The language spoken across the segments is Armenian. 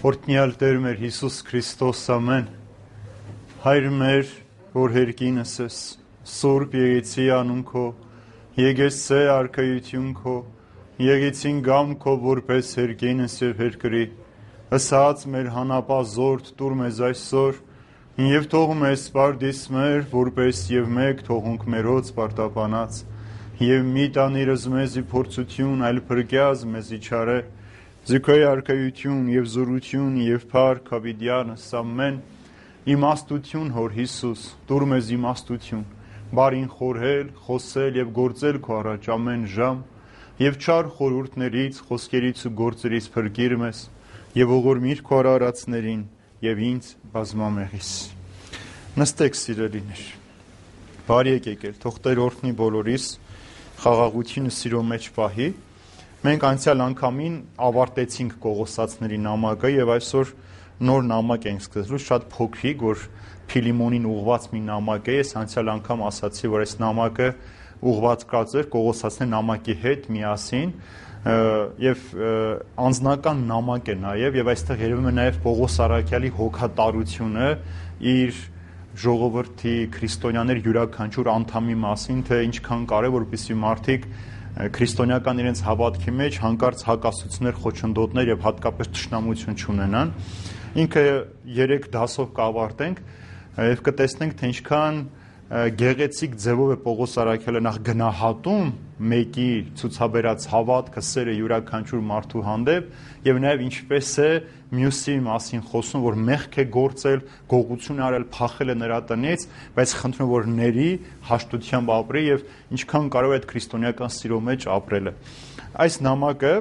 Օրհնյալ Տեր մեր Հիսուս Քրիստոս ամեն Հայր մեր որ հերկինս ես Սուրբ Եղեցի անուն քո Եկեցե արքայություն քո Եղեցին գամ քո որպես հերկինս եւ հերկրի Ասած մեր հանապազորդ տուր մեզ այսօր եւ թող մեզ սպարդիս մեր որպես եւ մեկ թողունք մերոց պարտապանած եւ մի տանիրս մեզի փորձություն այլ փրկյազ մեզի չարե Ձգոյ արքայություն եւ զորություն եւ փառք հավիտյանս ամեն իմաստություն հոր Հիսուս դուր մեզ իմաստություն բարին խորհել խոսել եւ գործել քո առաջ ամեն ժամ եւ չար խորհուրդներից խոսքերից ու գործերից փրկիր մեզ եւ ողորմիր քո արարածներին եւ ինձ բազմամեղիս նստեք սիրելիներ բարի եկել թող Տեր օրհնի բոլորիս խաղաղությունը սիրո մեջ պահի Մենք անցյալ անգամին ավարտեցինք Կողոսացների նամակը եւ այսօր նոր նամակ ենք սկսելու, շատ փոքրիկ, որ Փիլիմոնին ուղղված մի նամակ է, ես անցյալ անգամ ասացի, որ այս նամակը ուղղված կացեր Կողոսացների նամակի հետ միասին եւ անձնական նամակ է նաեւ այստեղ երևում է նաեւ Պողոս Արաքյալի հոգատարությունը իր ժողովրդի քրիստոնյաներ յուրաքանչյուր անդամի մասին, թե ինչքան կարեւոր որպեսզի մարդիկ քրիստոնեական իրենց հավատքի մեջ հանկարծ հակասություններ, խոչընդոտներ եւ հատկապես թշնամություն չունենան։ Ինքը 3 դասով կավարտենք եւ կտեսնենք թե ինչքան գեղեցիկ ձևով է Պողոս Արաքյալը նախ գնահատում մեկի ցուցաբերած հավատքը, սերը յուրաքանչյուր մարդու հանդեպ եւ նաեւ ինչպես է մյուսի մասին խոսում, որ մեղք է գործել, գողություն արել, փախել է նրա տնից, բայց խնդրում որ ների հաշտությամբ ապրի եւ ինչքան կարող է այդ քրիստոնեական սիրո մեջ ապրելը։ Այս նամակը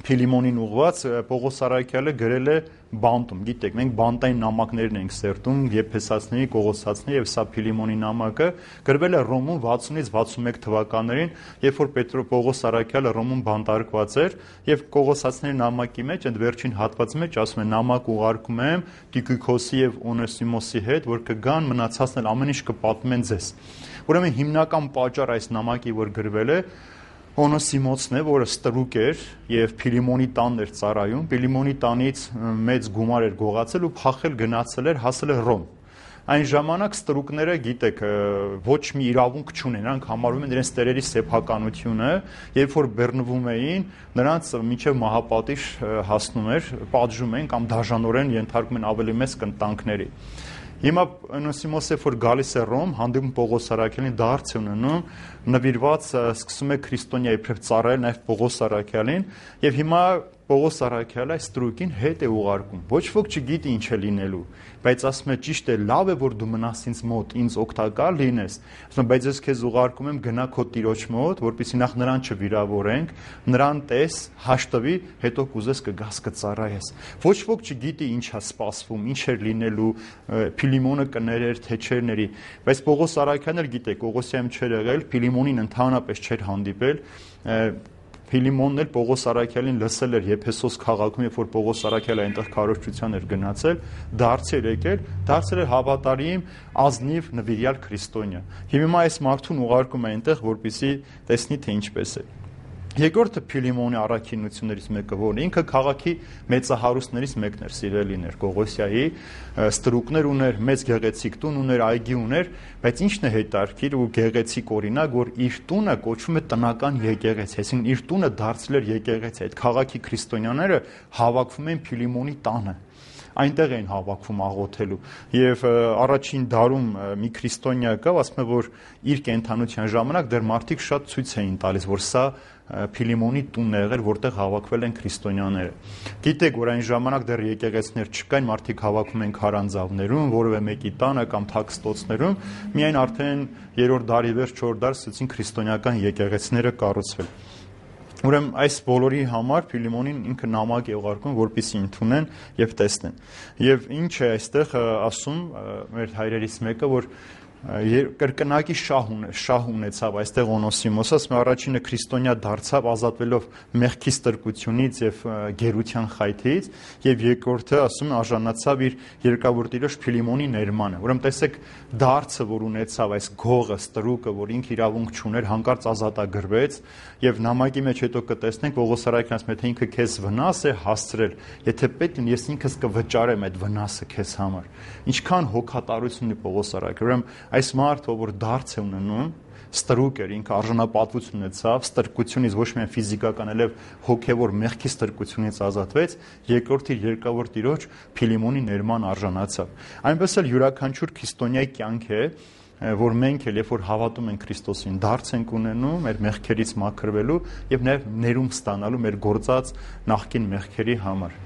Փիլիմոնին ուղված Պողոս Արաքյալը գրել է բանտում, գիտեք, մենք բանտային նամակներն ենք սերտում, Եփեսացիների, Կողոսացիների եւ սա Փիլիմոնի նամակը գրվել է Ռոմում 60-ից 61 թվականներին, երբ որ Պողոս Արաքյալը Ռոմում բանտարկված էր եւ Կողոսացիների նամակի մեջ այդ վերջին հատվածի մեջ ասում է նամակ ուղարկում եմ Տիկիկոսի եւ Օնեսիմոսի հետ, որ կգան մնացածն էլ ամեն ինչ կպատմեն ձեզ։ Ուրեմն հիմնական պատճառ այս նամակի որ գրվել է Օնոսիմոսն է, որը ստրուկ էր եւ Փիլիմոնի տանն էր ծառայում, Փիլիմոնի տանից մեծ գումար էր գողացել ու փախել գնացել էր, հասել էր Ռոմ։ Այն ժամանակ ստրուկները, գիտեք, ոչ մի իրավունք չունեն, նրանք համարվում են իրենց տերերի սեփականությունը, երբ որ բեռնվում էին, նրանց մինչև մահապատիժ հասնում էր, պատժում են կամ դաժանորեն ենթարկում են ավելի մեծ կնտանքների։ Հիմա Օնոսիմոսը որ գալիս է Ռոմ, հանդիպում Պողոս Արաքյալին դարձ է ունենում, նվիրված սկսում է քրիստոնյա իբրև ծառայել նաև Պողոս Արաքյալին, եւ հիմա Պողոս Արաքյալը այս ստրուկին հետ է ուղարկում։ Ոչ ոք չգիտի ինչ է լինելու, բայց ասում է ճիշտ է, լավ է որ դու մնաս ինձ մոտ, ինձ օգտակար լինես։ Ասում է, բայց ես քեզ ուղարկում եմ գնա քո տիրոջ մոտ, որպեսզի նախ նրան չվիրավորենք, նրան տես, հաշտվի, հետո կուզես կգաս կծառայես։ Ոչ ոք չգիտի ինչ է սպասվում, ինչ է լինելու, Փիլիմոնը կներեր, թե չէր ների, բայց Պողոս Արաքյալն էլ գիտեք, Կողոսիայում չէր եղել, Փիլիմոնին ընդհանրապես չէր հանդիպել, Փիլիմոնն էլ Պողոս Արաքյալին լսել էր Եփեսոս քաղաքում, երբ որ Պողոս Արաքյալը այնտեղ քարոզչության էր գնացել, դարձել եկել, դարձել էր հավատարիմ, ազնիվ նվիրյալ քրիստոնյա։ Հիմա այս մարդուն ուղարկում է այնտեղ, որպեսզի տեսնի թե ինչպես է։ Երկրորդը Փիլիմոնի առաքինություններից մեկը որն ինքը քաղաքի մեծահարուստներից մեկն էր, սիրելիներ, Կողոսիայի ստրուկներ ուներ, մեծ գեղեցիկ տուն ուներ, այգի ուներ, բայց ինչն է հետարքիր ու գեղեցիկ օրինակ, որ իր տունը կոչվում է տնական եկեղեցի, այսինքն իր տունը դարձել էր եկեղեցի, այդ քաղաքի քրիստոնյաները հավաքվում են Փիլիմոնի տանը այնտեղ էին հավաքվում աղոթելու եւ առաջին դարում մի քրիստոնյա կա, ասում է որ իր կենթանության ժամանակ դեռ մարդիկ շատ ցույց էին տալիս, որ սա Փիլիմոնի տունն է եղել, որտեղ հավաքվել են քրիստոնյաները։ Գիտեք, որ այն ժամանակ դեռ եկեղեցիներ չկային, մարդիկ հավաքվում են քարանձավներում, որևէ մեկի տանը կամ թաքստոցներում, միայն արդեն 3-րդ դարի վերջ, 4-րդ դար սկսեցին քրիստոնեական եկեղեցիները կառուցվել։ Ուրեմն այս բոլորի համար Փիլիմոնին ինքը նամակ է ուղարկում, որպեսզի ընդունեն եւ տեսնեն։ Եվ ինչ է այստեղ ասում մեր հայրերից մեկը, որ կրկնակի շահ ունեցավ այստեղ Օնոսիմոսը, ասում առաջինը քրիստոնյա դարձավ ազատվելով մեղքի ստրկությունից եւ գերության խայթից, եւ երկրորդը ասում է արժանացավ իր երկրավոր տիրոջ Փիլիմոնի ներմանը։ Ուրեմն տեսեք դարձը, որ ունեցավ այս գողը, ստրուկը, որ ինքը իրավունք չուներ, հանկարծ ազատագրվեց, եւ նամակի մեջ հետո կտեսնենք Պողոս Արաքյանն ասում է, թե ինքը քեզ վնաս է հասցրել, եթե պետք է ես ինքս կվճարեմ այդ վնասը քեզ համար։ Ինչքան հոգատարություն ունի Պողոս Արաքյանը։ Ուրեմն այս մարդը, որ դարձ է ունենում, ստրուկ էր, ինքը արժանապատվություն ունեցավ, ստրկությունից ոչ միայն ֆիզիկական, այլև հոգևոր մեղքի ստրկությունից ազատվեց, երկրորդի երկրավոր տիրոջ Փիլիմոնի ներման արժանացավ։ Այնպես էլ յուրաքանչյուր քրիստոնյայի կյանք է, որ մենք էլ երբ որ հավատում ենք Քրիստոսին, դարձ ենք ունենում մեր մեղքերից մաքրվելու եւ նաեւ ներում ստանալու մեր գործած նախկին մեղքերի համար։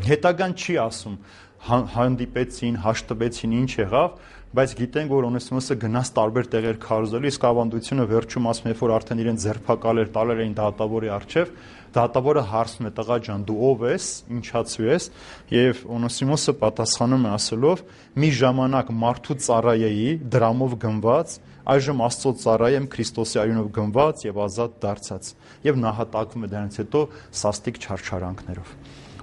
Հետագան չի ասում հանդիպեցին, հաշտվեցին, ինչ եղավ, բայց գիտենք, որ Օնեսիմոսը գնաց տարբեր տեղեր քարոզելու, իսկ ավանդությունը վերջում ասում է, որ արդեն իրեն ձերբակալեր, տալեր էին դատավորի առջև, դատավորը հարցնում է, տղա ջան, դու ով ես, ինչացու ես, եւ Օնեսիմոսը պատասխանում է ասելով. մի ժամանակ մարդու ծառայեի, դրամով գնված, այժմ Աստծո ծառայ եմ Քրիստոսի արյունով գնված եւ ազատ դարձած, եւ նահատակվում է դրանից հետո սաստիկ չարչարանքներով։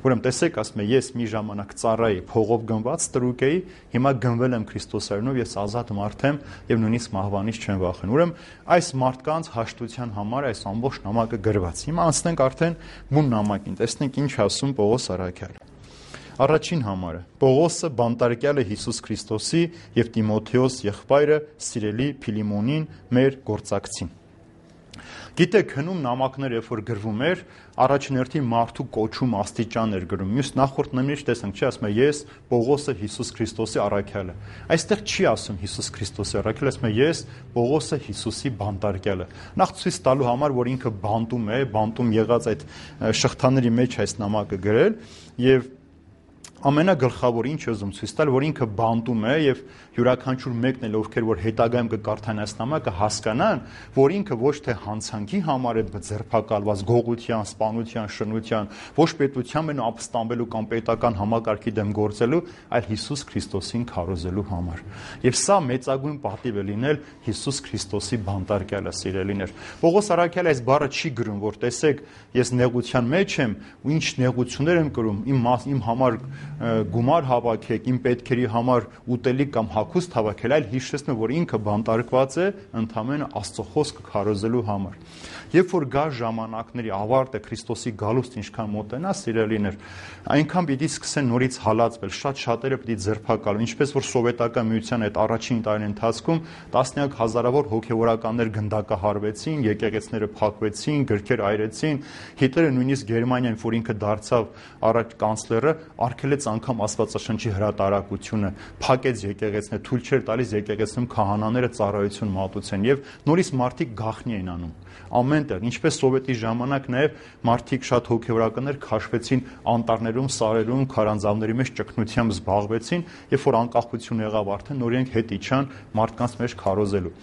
Ուրեմն տեսեք, ասում է, ես մի ժամանակ ծառայի փողով գնված ստրուկ էի, հիմա գնվել եմ Քրիստոսի արյունով, ես ազատ մարդ եմ եւ նույնիսկ մահվանից չեմ վախենում։ Ուրեմն այս մարդկանց հաշտության համար այս ամբողջ նամակը գրված։ Հիմա անցնենք արդեն բուն նամակին, տեսնենք ինչ ասում Պողոս Արաքյալը։ Առաջին համարը Պողոսը բանտարկյալ է Հիսուս Քրիստոսի եւ Տիմոթեոս եղբայրը սիրելի Փիլիմոնին մեր գործակցին։ Գիտեք, հնում նամակներ, երբ որ գրվում էր, առաջին հերթին մարդու կոչում աստիճան էր գրում։ Մյուս նախորդ նմիրիչ տեսանք, չի ասում է ես Պողոսը Հիսուս Քրիստոսի առաքյալը։ Այստեղ չի ասում Հիսուս Քրիստոսի առաքյալը, ասում է ես Պողոսը Հիսուսի բանտարկյալը։ Նախ ցույց տալու համար, որ ինքը բանտում եղած այդ շղթաների մեջ այս նամակը գրել եւ ամենագլխավոր ինչ ուզում ցույց տալ, որ ինքը բանտում է եւ յուրաքանչյուր մեկն էլ ովքեր որ հետագայում կկարդան այս նամակը հասկանան, որ ինքը ոչ թե հանցանքի համար է ձերբակալված գողության, սպանության, շնության, ոչ պետության մեն ապստամբելու կամ պետական համակարգի դեմ գործելու, այլ Հիսուս Քրիստոսին քարոզելու համար։ Եվ սա մեծագույն պատիվ է լինել Հիսուս Քրիստոսի բանտարկյալը, սիրելիներ։ Պողոս Արաքյալը այս բառը չի գրում, որ տեսեք, ես նեղության մեջ եմ ու ինչ նեղություններ եմ կրում, իմ համար գումար հավաքեք, իմ պետքերի համար ուտելիք կամ հագուստ հավաքել, այլ հիշեցնում, որ ինքը բանտարկված է ընդամենը Աստծո խոսքը քարոզելու համար։ Երբ որ գա ժամանակների ավարտը Քրիստոսի գալուստը ինչքան մոտենա, սիրելիներ, այնքան պիտի սկսեն նորից հալածվել, շատ-շատերը պիտի ձերբակալվեն, ինչպես որ սովետական միության այդ առաջին տարին ընթացքում տասնյակ հազարավոր հոգևորականներ գնդակահարվեցին, եկեղեցիները փակվեցին, գրքեր այրեցին, Հիտլերը նույնիսկ Գերմանիայում, որ ինքը դարձավ առաջ կանցլերը, արգելեց անգամ Աստվածաշնչի հրատարակությունը, փակեց եկեղեցիները, թույլ չէր տալիս եկեղեցիում քահանաները ծառայություն մատուցեն եւ նորից մարդիկ գաղտնի էին անում։ Ամենտեղ, ինչպես սովետի ժամանակ նաև մարդիկ շատ հոգևորականներ քաշվեցին անտառներում, սարերում, քարանձավների մեջ ճգնությամբ զբաղվեցին, երբ որ անկախություն եղավ արդեն նորենք հետ իջան մարդկանց մեջ քարոզելու։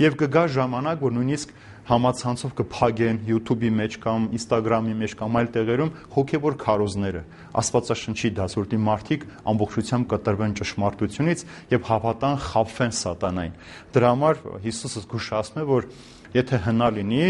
Եվ կգա ժամանակ, որ նույնիսկ համացանցով կփագեն YouTube-ի մեջ կամ Instagram-ի մեջ կամ այլ տեղերում հոգևոր քարոզները, Աստվածաշնչի դասորդի մարդիկ ամբողջությամբ կտրվեն ճշմարտությունից եւ հավատան, խաբվեն սատանային։ Դրա համար Հիսուսը զգուշացնում է, որ եթե հնա լինի,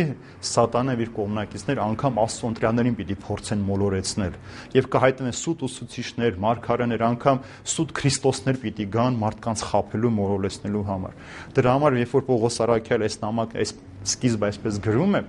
սատանան իր կողմնակիցներ անգամ Աստծո ընտրյալներին պիտի փորձեն մոլորեցնել եւ կհայտնվեն սուտ ուսուցիչներ, մարգարեներ, անգամ սուտ քրիստոսներ պիտի գան մարդկանց խաբելու, մոլորեցնելու համար։ Դրա համար երբ որ Պողոս Արաքյալը այս նամակը այս սկիզբը այսպես գրում է,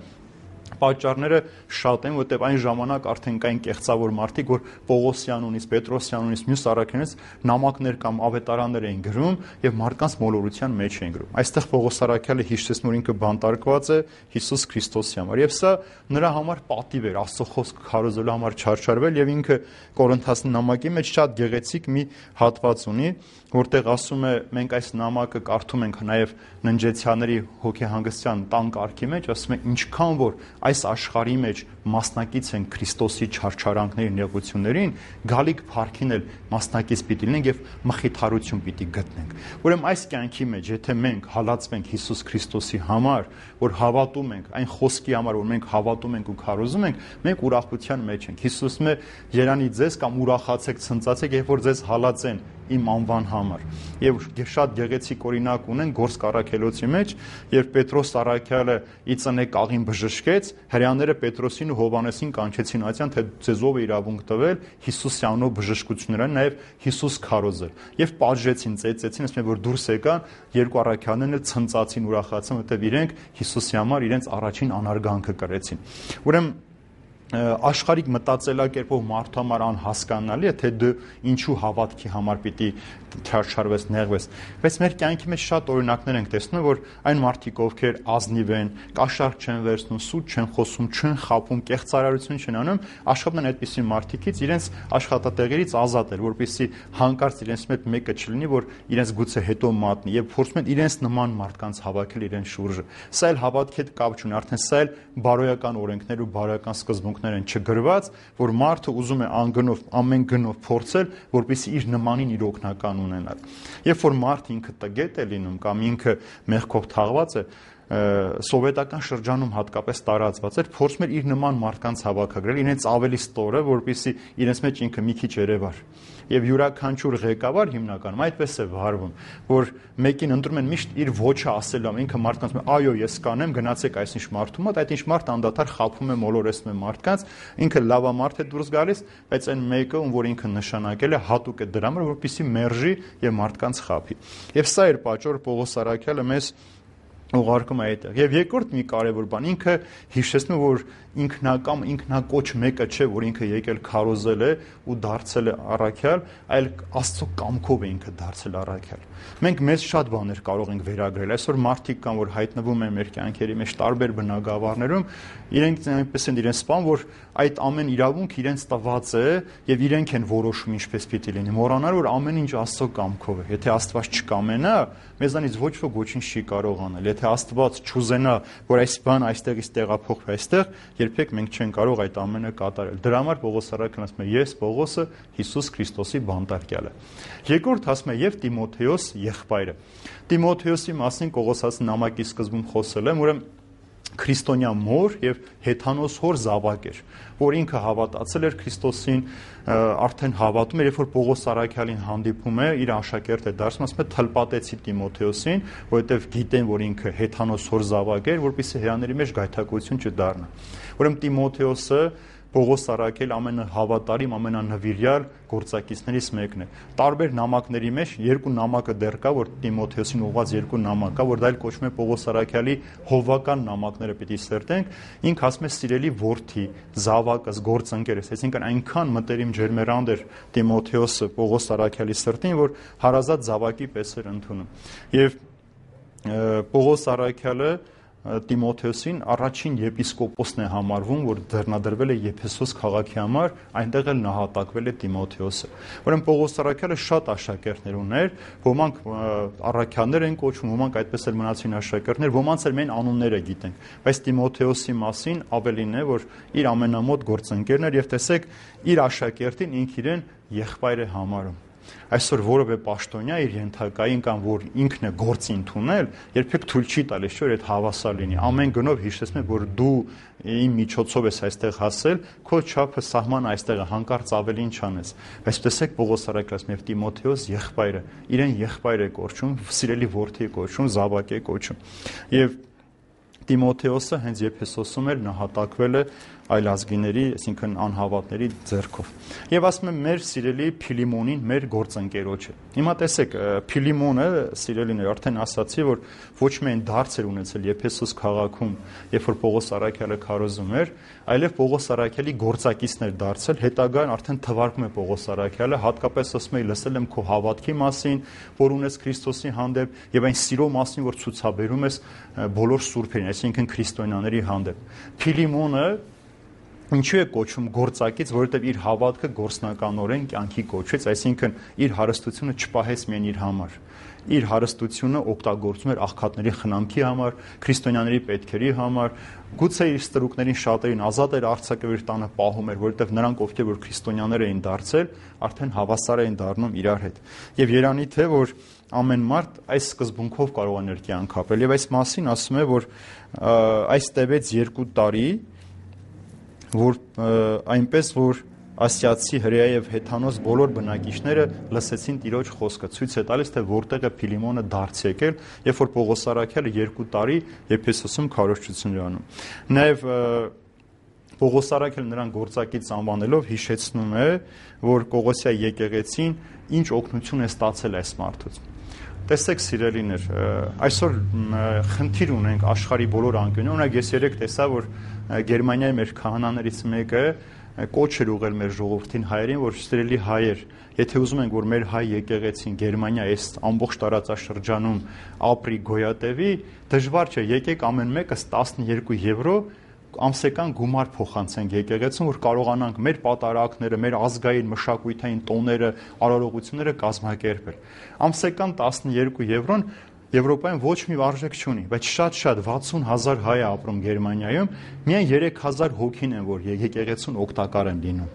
պատճառները շատ են, որտեղ այն ժամանակ արդեն կային կեղծավոր մարդիկ, որ Պողոսյանունից, Պետրոսյանունից, մյուս առաքյանից նամակներ կամ ավետարաններ էին գրում եւ մարդկանց մոլորության մեջ էին գրում։ Այստեղ Պողոս Արաքյալը հիշեցնում, որ ինքը բանտարկված է Հիսուս Քրիստոսի համար եւ սա նրա համար պատիվ էր, Աստծո խոսքը քարոզելու համար չարչարվել եւ ինքը Կորինթացի նամակի մեջ շատ գեղեցիկ մի հատված ունի, որտեղ ասում է մենք այս նամակը կարդում ենք նաեւ ննջեցյանների հոգեհանգստյան տան կարգի մեջ, ասում է ինչքան որ այս աշխարհի մեջ մասնակից են Քրիստոսի չարչարանքների նեղություններին, գալիք փառքին էլ մասնակից պիտի լինենք եւ մխիթարություն պիտի գտնենք։ Ուրեմն այս կյանքի մեջ, եթե մենք հալածվենք Հիսուս Քրիստոսի համար, որ հավատում ենք այն խոսքի համար, որ մենք հավատում ենք ու քարոզում ենք, մենք ուրախության մեջ ենք։ Հիսուսն է երանի ձեզ կամ ուրախացեք, ցնծացեք, երբ որ ձեզ հալածեն իմ անվան համար։ Եվ շատ գեղեցիկ օրինակ ունեն Գործք առաքելոցի մեջ, երբ Պետրոս առաքյալը ի ծնե կաղին բժշկեց, հրեաները Պետրոսին ու Հովհաննեսին կանչեցին այցյան, թե ձեզ ով է իրավունք տվել Հիսուսի անունով բժշկությունները, նաև Հիսուս քարոզել։ Եվ պատժեցին, ծեծեցին, ասում են, որ դուրս եկան, երկու առաքյալներն էլ ցնծացին, ուրախացան, որտեղ իրենք Հիսուսի համար իրենց առաջին անարգանքը կրեցին։ Ուրեմն աշխարհիկ մտածելակերպով մարդու համար անհասկանալի է, թե դու ինչու հավատքի համար պիտի չարչարվես, նեղվես, բայց մեր կյանքի մեջ շատ օրինակներ ենք տեսնում, որ այն մարդիկ, ովքեր ազնիվ են, կաշառք չեն վերցնում, սուտ չեն խոսում, չեն խաբում, կեղծարարություն չեն անում, աշխատեն այդպիսի մարդիկից իրենց աշխատատեղերից ազատել, որպեսզի հանկարծ իրենց մեջ մեկը չլինի, որ իրենց գուցե հետո մատնի, եւ փորձում են իրենց նման մարդկանց հավաքել իրենց շուրջը։ Սա էլ հավատքի հետ կապ չունի, արդեն սա էլ բարոյական օրենքներ ու բարոյական սկզբունքներ են չգրված, որ մարդը ուզում է անգնով, ամեն գնով փորձել, որպեսզի իր նմանին իր օգնական ունենալ։ Երբ որ մարդը ինքը տգետ է լինում կամ ինքը մեղքով թաղված է, սովետական շրջանում հատկապես տարածված էր, փորձում էր իր նման մարդկանց հավաքագրել, իրենց ավելի ստորը, որպեսզի իրենց մեջ ինքը մի քիչ երևար։ Եվ յուրաքանչյուր ղեկավար հիմնականում այդպես է վարվում, որ մեկին ընտրում են միշտ իր ոչը ասելու, ինքը մարդկանց ասում է, այո, ես կանեմ, գնացեք այսինչ մարդու մոտ, այդ ինչ մարդ անդադար խաբում է, մոլորեցնում է մարդկանց, ինքը լավամարդ է դուրս գալիս, բայց այն մեկը, ում որ ինքը նշանակել է, հատուկ է դրա համար, որպեսզի մերժի եւ մարդկանց խաբի։ Եվ սա էր պատճառը Պողոս առաքյալը մեզ ուղարկում է այդտեղ։ Եվ երկրորդ մի կարևոր բան, ինքը հիշեցնում, որ ինքնակամ, ինքնակոչ մեկը չէ, որ ինքը եկել քարոզել է ու դարձել է առաքյալ, այլ Աստծո կամքով է ինքը դարձել առաքյալ։ Մենք մեզ շատ բաներ կարող ենք վերագրել։ Այսօր մարդիկ կան, որ հայտնվում են մեր կյանքերի մեջ տարբեր բնագավառներում, իրենք այնպես են իրենց սպան, որ այդ ամեն իրավունք իրենց տված է եւ իրենք են որոշում ինչպես պիտի լինի։ Մոռանալ, որ ամեն ինչ Աստծո կամքով է։ Եթե Աստված չկամենա, մեզանից ոչ ոք ոչինչ չի կարող անել։ Եթե Աստված չուզենա, որ այս բան այստեղից տեղափոխվի այստեղ, երբեք մենք չենք կարող այդ ամենը կատարել։ Դրա համար Պողոս առաքյալն ասում է. ես Պողոսը Հիսուս Քրիստոսի բանտարկյալը։ Երկրորդ ասում է եւ Տիմոթեոս եղբայրը։ Տիմոթեոսի մասին Կողոսացի նամակի սկզբում խոսել եմ, ուրեմն քրիստոնյա մոր եւ հեթանոս հոր զավակ էր, որ ինքը հավատացել էր Քրիստոսին, արդեն հավատում էր, երբ որ Պողոս առաքյալին հանդիպում է, իր աշակերտ է դարձում, ասում է թլպատեցի Տիմոթեոսին, որովհետեւ գիտեն, որ ինքը հեթանոս հոր զավակ էր, որպեսզի հյաների մեջ գայթակղություն չդառնա։ Ուրեմն Տիմոթեոսը Պողոս առաքյալ ամենահավատարիմ, ամենանվիրյալ գործակիցներից մեկն է։ Տարբեր նամակների մեջ երկու նամակը դեռ կա, որ Տիմոթեոսին ուղղված երկու նամակ կա, որ դա էլ կոչվում է Պողոս առաքյալի հովվական նամակները պիտի սերտենք։ Ինքը ասում է սիրելի որդի, զավակս, գործընկերս, այսինքն այնքան մտերիմ ջերմերանդ էր Տիմոթեոսը Պողոս առաքյալի սրտին, որ հարազատ զավակի պես էր ընդունում։ Եվ Պողոս առաքյալը Տիմոթեոսին առաջին եպիսկոպոսն է համարվում, որ ձեռնադրվել է Եփեսոս քաղաքի համար, այնտեղ էլ նահատակվել է Տիմոթեոսը։ Ուրեմն Պողոս առաքյալը շատ աշակերտներ ուներ, ոմանք առաքյալներ են կոչվում, ոմանք այդպես էլ մնացին աշակերտներ, ոմանց էլ մեն անունները գիտենք, բայց Տիմոթեոսի մասին ավելին է, որ իր ամենամոտ գործընկերն էր եւ տեսեք իր աշակերտին ինք իրեն եղբայր է համարում։ Այսօր որևէ պաշտոնյա իր ենթակային կամ որ ինքն է գործի ընդունել, երբեք թույլ չի տալիս, որ այդ հավասար լինի։ Ամեն գնով հիշեցնում է, որ դու իմ միջոցով ես այստեղ հասել, քո չափը սահմանը այստեղ է, հանկարծ ավելին չանես։ Բայց տեսեք Պողոս առաքյալը եւ Տիմոթեոս եղբայրը, իրեն եղբայր է կոչում, սիրելի որդի է կոչում, զավակ է կոչում։ Եվ Տիմոթեոսը հենց Եփեսոսում էր նահատակվել է այլազգիների, այսինքն անհավատների ձեռքով։ Եվ ասում եմ մեր սիրելի Փիլիմոնին, մեր գործընկերոջը։ Հիմա տեսեք, Փիլիմոնը, սիրելիներ, արդեն ասացի, որ ոչ միայն դարձ էր ունեցել Եփեսոս քաղաքում, երբ որ Պողոս առաքյալը քարոզում էր, այլև Պողոս առաքյալի գործակիցն էր դարձել, հետագայում արդեն թվարկում է Պողոս առաքյալը, հատկապես ասում է, լսել եմ քո հավատքի մասին, որ ունես Քրիստոսի հանդեպ, եւ այն սիրո մասին, որ ցուցաբերում ես բոլոր սուրբերին, այսինքն քրիստոնյաների հանդեպ։ Փիլիմոնը ինչու է կոչում գործակից, որովհետև իր հավատքը գործնականորեն կյանքի կոչվեց, այսինքն իր հարստությունը չպահեց միայն իր համար։ Իր հարստությունը օգտագործում էր աղքատների խնամքի համար, քրիստոնյաների պետքերի համար, գուցե իր ստրուկներին շատերին ազատ էր արձակել իր տանը պահում էր, որովհետև նրանք ովքեր որ քրիստոնյաներ էին դարձել, արդեն հավասար էին դառնում իրար հետ։ Եվ երանի թե որ ամեն մարդ այս սկզբունքով կարող է իր կյանք ապրել, եւ այս մասին ասում է, որ այս տևեց 2 տարի, որ այնպես որ ասիացի, հրեա եւ հեթանոս բոլոր բնակիչները լսեցին Տիրոջ խոսքը, ցույց է տալիս, թե որտեղ է Փիլիմոնը դարձ եկել, երբ որ Պողոս առաքյալը 2 տարի Եփեսոսում քարոզչություն էր անում։ Նաեւ Պողոս առաքյալը նրան գործակից անվանելով հիշեցնում է, որ Կողոսիայի եկեղեցին ինչ օգնություն է ստացել այս մարդուց։ Տեսեք սիրելիներ, այսօր խնդիր ունենք աշխարհի բոլոր անկյունում։ Օրինակ ես երեք տեսա, որ Գերմանիայի մեր քահանաներից մեկը կոչ էր ուղղել մեր ժողովրդին հայերին, որ սիրելի հայեր, եթե ուզում ենք, որ մեր հայ եկեղեցին Գերմանիա այս ամբողջ տարածաշրջանում ապրի, գոյատևի, դժվար չէ, եկեք ամեն մեկս 12 եվրո ամսական գումար փոխանցենք եկեղեցուն, որ կարողանանք մեր պատարակները, մեր ազգային մշակութային տոները, արարողությունները կազմակերպել։ Ամսական 12 եվրոն Եվրոպայում ոչ մի արժեք չունի, բայց շատ 60,000 հայ է ապրում Գերմանիայում, միայն 3,000 հոգին են, որ եկեղեցուն օգտակար են լինում։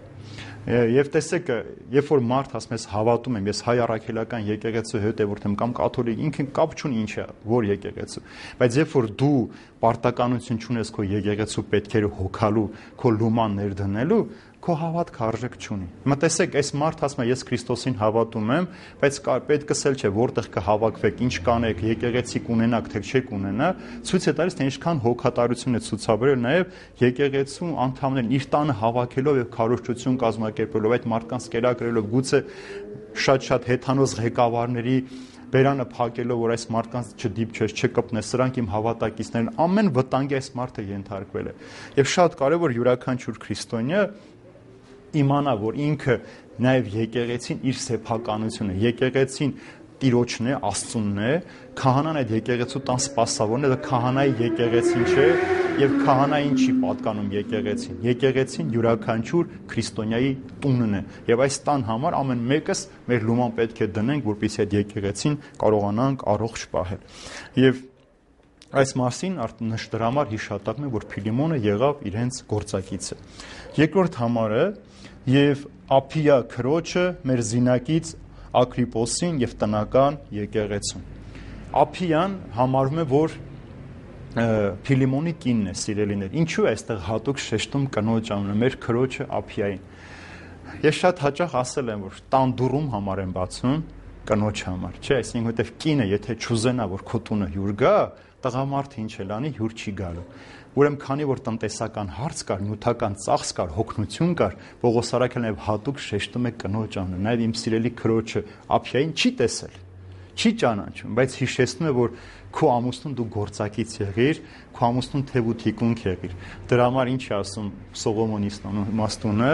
Եվ տեսեք, երբ որ մարդ ասում ես հավատում եմ, ես հայ առաքելական եկեղեցու հետևորդ եմ կամ կաթոլիկ, ինքն կապ չունի ինչ է, որ եկեղեցու, բայց երբ որ դու պարտականություն չունես քո եկեղեցու պետքերը հոգալու, քո լուման ներդնելու, քո հավատքը արժեք չունի։ Հիմա տեսեք, այս մարդ ասում է, ես Քրիստոսին հավատում եմ, բայց պետքս էլ չէ, որտեղ կհավաքվեք, ինչ կանեք, եկեղեցի կունենաք, թե չեք ունենա, ցույց է տալիս, թե ինչքան հոգատարություն է ցուցաբերել նաև եկեղեցու անդամներին իր տանը հավաքելով եւ քարոզչություն կազմակերպելով, այդ մարդկանց կերակրելով, գուցե շատ հեթանոս ղեկավարների բերանը փակելով, որ այս մարդկանց չդիպչես, չկպնես, սրանք իմ հավատակիցներն, ամեն վտանգի այս մարդը ենթարկվել է։ Եվ շատ կարևոր յուրաքանչյուր քրիստոնյա իմանա, որ ինքը նաև եկեղեցին իր սեփականությունը, եկեղեցին Տիրոջն է, Աստծունն է, քահանան այդ եկեղեցու տան սպասավորն է, դա քահանայի եկեղեցին չէ, եւ քահանային չի պատկանում եկեղեցին։ Եկեղեցին յուրաքանչյուր քրիստոնյայի տունն է, եւ այս տան համար ամեն մեկս մեր լուման պետք է դնենք, որպեսզի այդ եկեղեցին կարողանանք առողջ պահել։ Եվ այս մասին դրա համար հիշատակում եմ, որ Փիլիմոնը եղավ իրենց գործակիցը։ Երկրորդ համարը եւ Ափիա քրոջը մեր զինակից Ակրիպոսին եւ տնական եկեղեցուն։ Ափիան համարվում է, որ Փիլիմոնի կինն է, սիրելիներ։ Ինչու է այստեղ հատուկ շեշտում կնոջ անունը, մեր քրոջը Ափիային։ Ես շատ հաճախ ասել եմ, որ տան դուռում համար եմ բացում կնոջ համար, չէ՞, այսինքն որտեվ կինը եթե չուզենա, որ քո տունը հյուր գա, տղամարդը ինչ էլ անի, հյուր չի գալու։ Ուրեմն քանի որ տնտեսական հարց կար, նյութական ծախս կար, հոգնություն կար, Պողոս առաքյալն նաև հատուկ շեշտում է կնոջ անունը, նաև իմ սիրելի քրոջը Ափիային չի տեսել, չի ճանաչում, բայց հիշեցնում է, որ քո ամուսնուն դու գործակից եղիր, քո ամուսնուն թև ու թիկունք եղիր։ Դրա համար ինչ է ասում Սողոմոնի իմաստունը,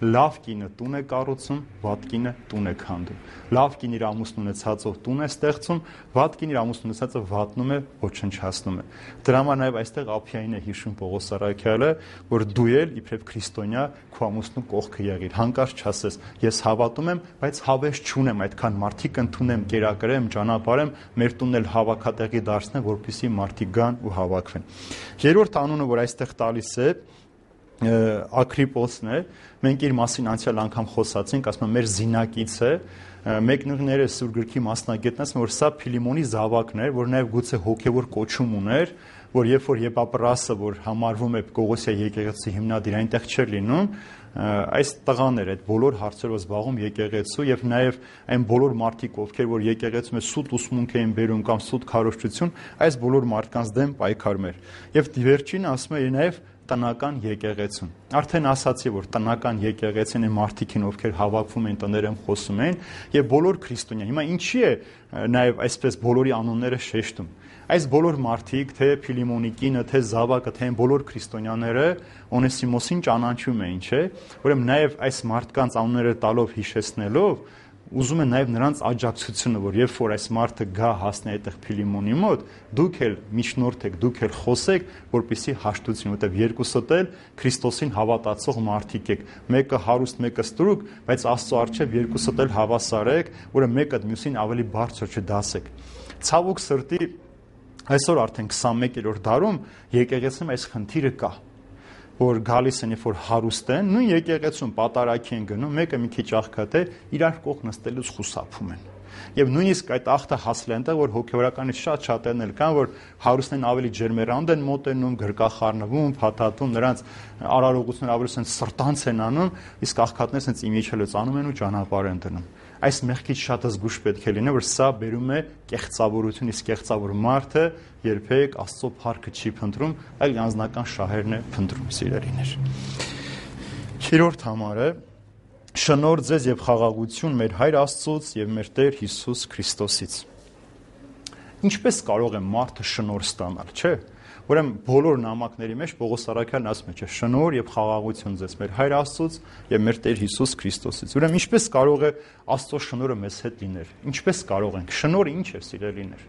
լավ կինը տուն է կառուցում, վատ կինը տուն է քանդում։ Լավ կին իր ամուսնուն ունեցածով տուն է ստեղծում, վատ կին իր ամուսնուն ունեցածը վատնում է, ոչնչացնում է։ Դրա համար նաև այստեղ Ափիային է հիշում Պողոս առաքյալը, որ դու էլ իբրև քրիստոնյա քո ամուսնու կողքը եղիր, հանկարծ չասես, ես հավատում եմ, բայց հավես չունեմ, այդքան մարդիկ ընդունեմ, կերակրեմ, ճանապարհեմ, մեր տունն էլ հավաքատեղի դարձնեմ, որպեսզի մարդիկ գան ու հավաքվեն։ Երրորդ անունը, որ այստեղ տալիս է, Ակրիպոսն է, մենք իր մասին անցյալ անգամ խոսացինք, ասում եմ մեր զինակից է, մեկնիկները Սուրբ գրքի մասնագետն ասում որ սա Փիլիմոնի զավակն էր, որ նաև գուցե հոգևոր կոչում ուներ, որ երբ որ Եփապրասը, որ համարվում է Կողոսիա եկեղեցի հիմնադիր, այնտեղ չէր լինում, այս տղաներ այդ բոլոր հարցերով զբաղվում եկեղեցու եւ նաեւ այն բոլոր մարդիկ, ովքեր որ եկեղեցում է սուտ ուսմունք էին բերում կամ սուտ քարոզչություն, այս բոլոր մարդկանց դեմ պայքարում էր։ Եվ վերջինը ասում է նաեւ տնական եկեղեցուն։ Արդեն ասացի, որ տնական եկեղեցին է մարդիկին, ովքեր հավաքվում են տներում խոսում են, եւ բոլոր քրիստոնյա։ Հիմա ինչի է նաեւ այսպես բոլորի անունները շեշտում։ Այս բոլոր մարդիկ, թե Փիլիմոնի կինը, թե զավակը, թե այն բոլոր քրիստոնյաները Օնեսիմոսին ճանաչում էին, չէ՞։ Ուրեմն նաեւ այս մարդկանց անունները տալով հիշեցնելով ուզում է նաև նրանց աջակցությունը, որ երբ որ այս մարդը գա հասնի այդտեղ Փիլիմոնի մոտ, դուք էլ միջնորդեք, դուք էլ խոսեք, որպեսզի հաշտություն, որտեղ երկուսդ էլ Քրիստոսին հավատացող մարդիկ եք։ Մեկը հարուստ, մեկը ստրուկ, բայց Աստծո առջև երկուսդ էլ հավասար եք, որը մեկը մյուսին ավելի բարձր չդասեք։ Ցավոք սրտի այսօր արդեն 21-րդ դարում եկեղեցում այս խնդիրը կա, որ գալիս են, երբ որ հարուստ են, նույն եկեղեցում պատարակի են գնում, մեկը մի քիչ աղքատ է, իրար կողք նստելուց խուսափում են։ Եվ նույնիսկ այդ ախտը հասել է այնտեղ, որ հոգևորականից շատ-շատերն էլ կան, որ հարուստներն ավելի ջերմերանդ են մոտենում, գրկախառնվում, փաթաթում, նրանց արարողությունները ավելի սենց սրտանց են անում, իսկ աղքատները սենց իմիջելուց անում են ու ճանապարհ են դնում։ Այս մեղքից շատ զգուշ պետք է լինի, որ սա բերում է կեղծավորություն, իսկ կեղծավոր մարդը երբեք Աստծո փառքը չի փնտրում, այլ անձնական շահերն է փնտրում, սիրելիներ։ 3-րդ համարը շնորհ ձեզ եւ խաղաղություն մեր Հայր Աստծուց եւ մեր Տեր Հիսուս Քրիստոսից։ Ինչպես կարող է մարդը շնորհ ստանալ, չէ՞։ Ուրեմն բոլոր նամակների մեջ Պողոս Առաքյալն ասում է, չէ՞, շնորհ եւ խաղաղություն ձեզ մեր Հայր Աստծուց եւ մեր Տեր Հիսուս Քրիստոսից։ Ուրեմն ինչպես կարող է Աստծո շնորհը մեզ հետ լինել։ Ինչպես կարող ենք։ Շնորհը ինչ է, սիրելիներ։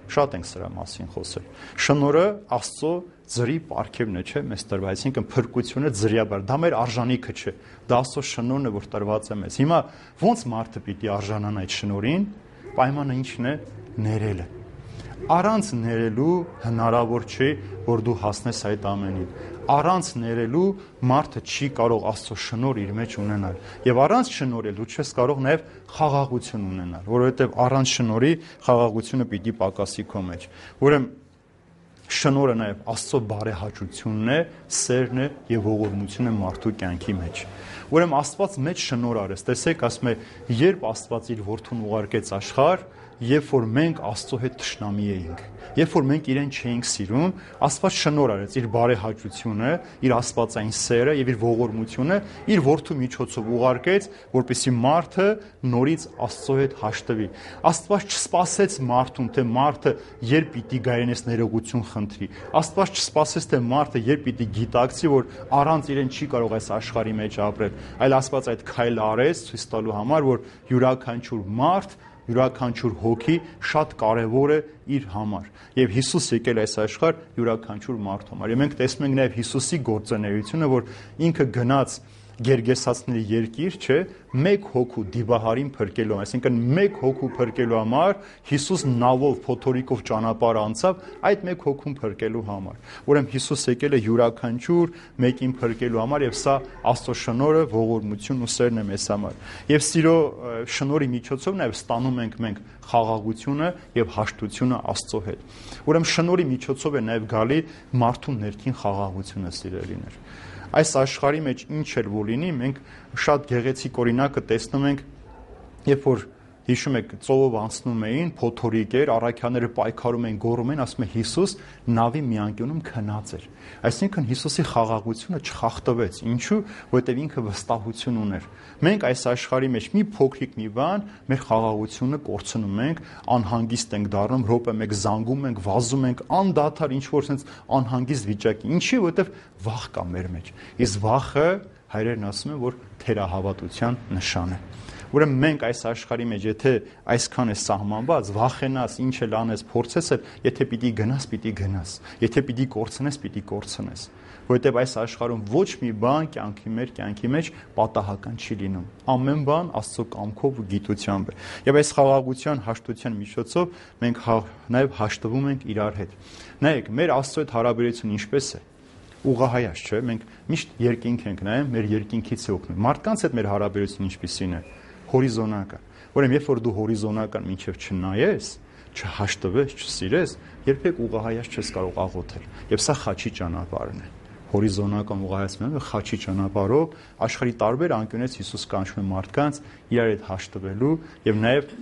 Շատ ենք սրա մասին խոսել։ Շնորհը Աստծո ձրի պարգևն է, չէ՞, մեզ տրված, այսինքն փրկությունը ձրիաբար, դա մեր արժանիքը չէ։ Դա Աստծո շնորհն է, որ տրված է մեզ։ Հիմա ո՞նց մարդը պիտի արժանանա այդ շնորհին։ Պայմանը ի՞նչն է։ Ներելը։ Առանց ներելու հնարավոր չի, որ դու հասնես այդ ամենին։ Առանց ներելու մարդը չի կարող Աստծո շնորհ իր մեջ ունենալ։ Եվ առանց շնորհի դու չես կարող նաև խաղաղություն ունենալ, որովհետև առանց շնորհի խաղաղությունը պիտի պակասի քո մեջ։ Ուրեմն շնորհը նաև Աստծո բարեհաճությունն է, սերն է եւ ողորմությունը մարդու կյանքի մեջ։ Ուրեմն Աստված մեծ շնորհ արեց։ Տեսեք, ասում է, երբ Աստված իր որդուն ուղարկեց աշխարհ, երբ որ մենք Աստծո հետ թշնամի էինք, երբ որ մենք իրեն չէինք սիրում, Աստված շնորհ արեց իր բարեհաճությունը, իր աստվածային սերը եւ իր ողորմությունը իր որդու միջոցով ուղարկեց, որպեսզի մարդը նորից Աստծո հետ հաշտվի։ Աստված չսպասեց մարդուն, թե մարդը երբ պիտի գայնես ներողություն խնդրի։ Աստված չսպասեց, թե մարդը երբ պիտի գիտակցի, որ առանց իրեն չի կարող այս աշխարհի մեջ ապրել, այլ Աստված այդ քայլը արեց ցույց տալու համար, որ յուրաքանչյուր մարդ, յուրաքանչյուր հոգի շատ կարևոր է իր համար։ Եվ Հիսուս եկել այս աշխարհ յուրաքանչյուր մարդու համար։ Եվ մենք տեսնում ենք նաև Հիսուսի գործունեությունը, որ ինքը գնաց Գերգեսացիների երկիր, չէ, մեկ հոգու դիվահարին փրկելու, այսինքն մեկ հոգու փրկելու համար Հիսուս նավով, փոթորիկով ճանապարհ անցավ այդ մեկ հոգուն փրկելու համար։ Ուրեմն Հիսուս եկել է յուրաքանչյուր մեկին փրկելու համար եւ սա Աստծո շնորհը, ողորմությունն ու սերն է մեզ համար։ Եվ սիրո շնորհի միջոցով նաև ստանում ենք մենք խաղաղությունը եւ հաշտությունը Աստծո հետ։ Ուրեմն շնորհի միջոցով է նաև գալի մարդու ներքին խաղաղությունը, սիրելիներ։ Այս աշխարհի մեջ ինչ էլ որ լինի, մենք շատ գեղեցիկ օրինակը տեսնում ենք, երբ որ հիշում եք ծովով անցնում էին, փոթորիկ էր, առաքյաները պայքարում էին, գոռում էին, ասում է Հիսուս նավի մի անկյունում քնած էր։ Այսինքն Հիսուսի խաղաղությունը չխախտվեց։ Ինչու՞, որովհետև ինքը վստահություն ուներ։ Մենք այս աշխարհի մեջ մի փոքրիկ մի բան մեր խաղաղությունը կորցնում ենք, անհանգիստ ենք դառնում, րոպե մեկ զանգում ենք, վազում ենք, անդադար ինչ որ sense անհանգիստ վիճակի։ Ինչի՞, որովհետև վախ կա մեր մեջ։ Իսկ վախը հայրերն ասում են, որ թերահավատության նշան է։ Ուրեմն մենք այս աշխարհի մեջ, եթե այսքան է սահմանված, վախենաս, ինչ էլ անես, փորձես, եթե պիտի գնաս, եթե պիտի կորցնես, որովհետև այս աշխարհում ոչ մի բան կյանքի մեջ պատահական չի լինում։ Ամեն բան Աստծո կամքով ու գիտությամբ է։ Եվ այս խաղաղության, հաշտության միջոցով մենք նաև հաշտվում ենք իրար հետ։ Նայեք, մեր Աստծո հետ հարաբերությունը ինչպես է։ Ուղղահայաց, չէ՞, մենք միշտ երկինք ենք նայում, մեր երկինքից է օգնում։ Մարդկանց հետ մեր հարաբերությունը ինչպիսին է։ Հորիզոնական։ Ուրեմն երբ որ դու հորիզոնական մինչև չնայես, չհաշտվես, չսիրես, երբեք ուղղահայաց չես կարող աղոթել։ Եվ սա խաչի ճանապարհն է։ Հորիզոնական ուղղահայացումը խաչի ճանապարհով աշխարհի տարբեր անկյունից Հիսուս կանչում է մարդկանց իրար հետ հաշտվելու եւ նաեւ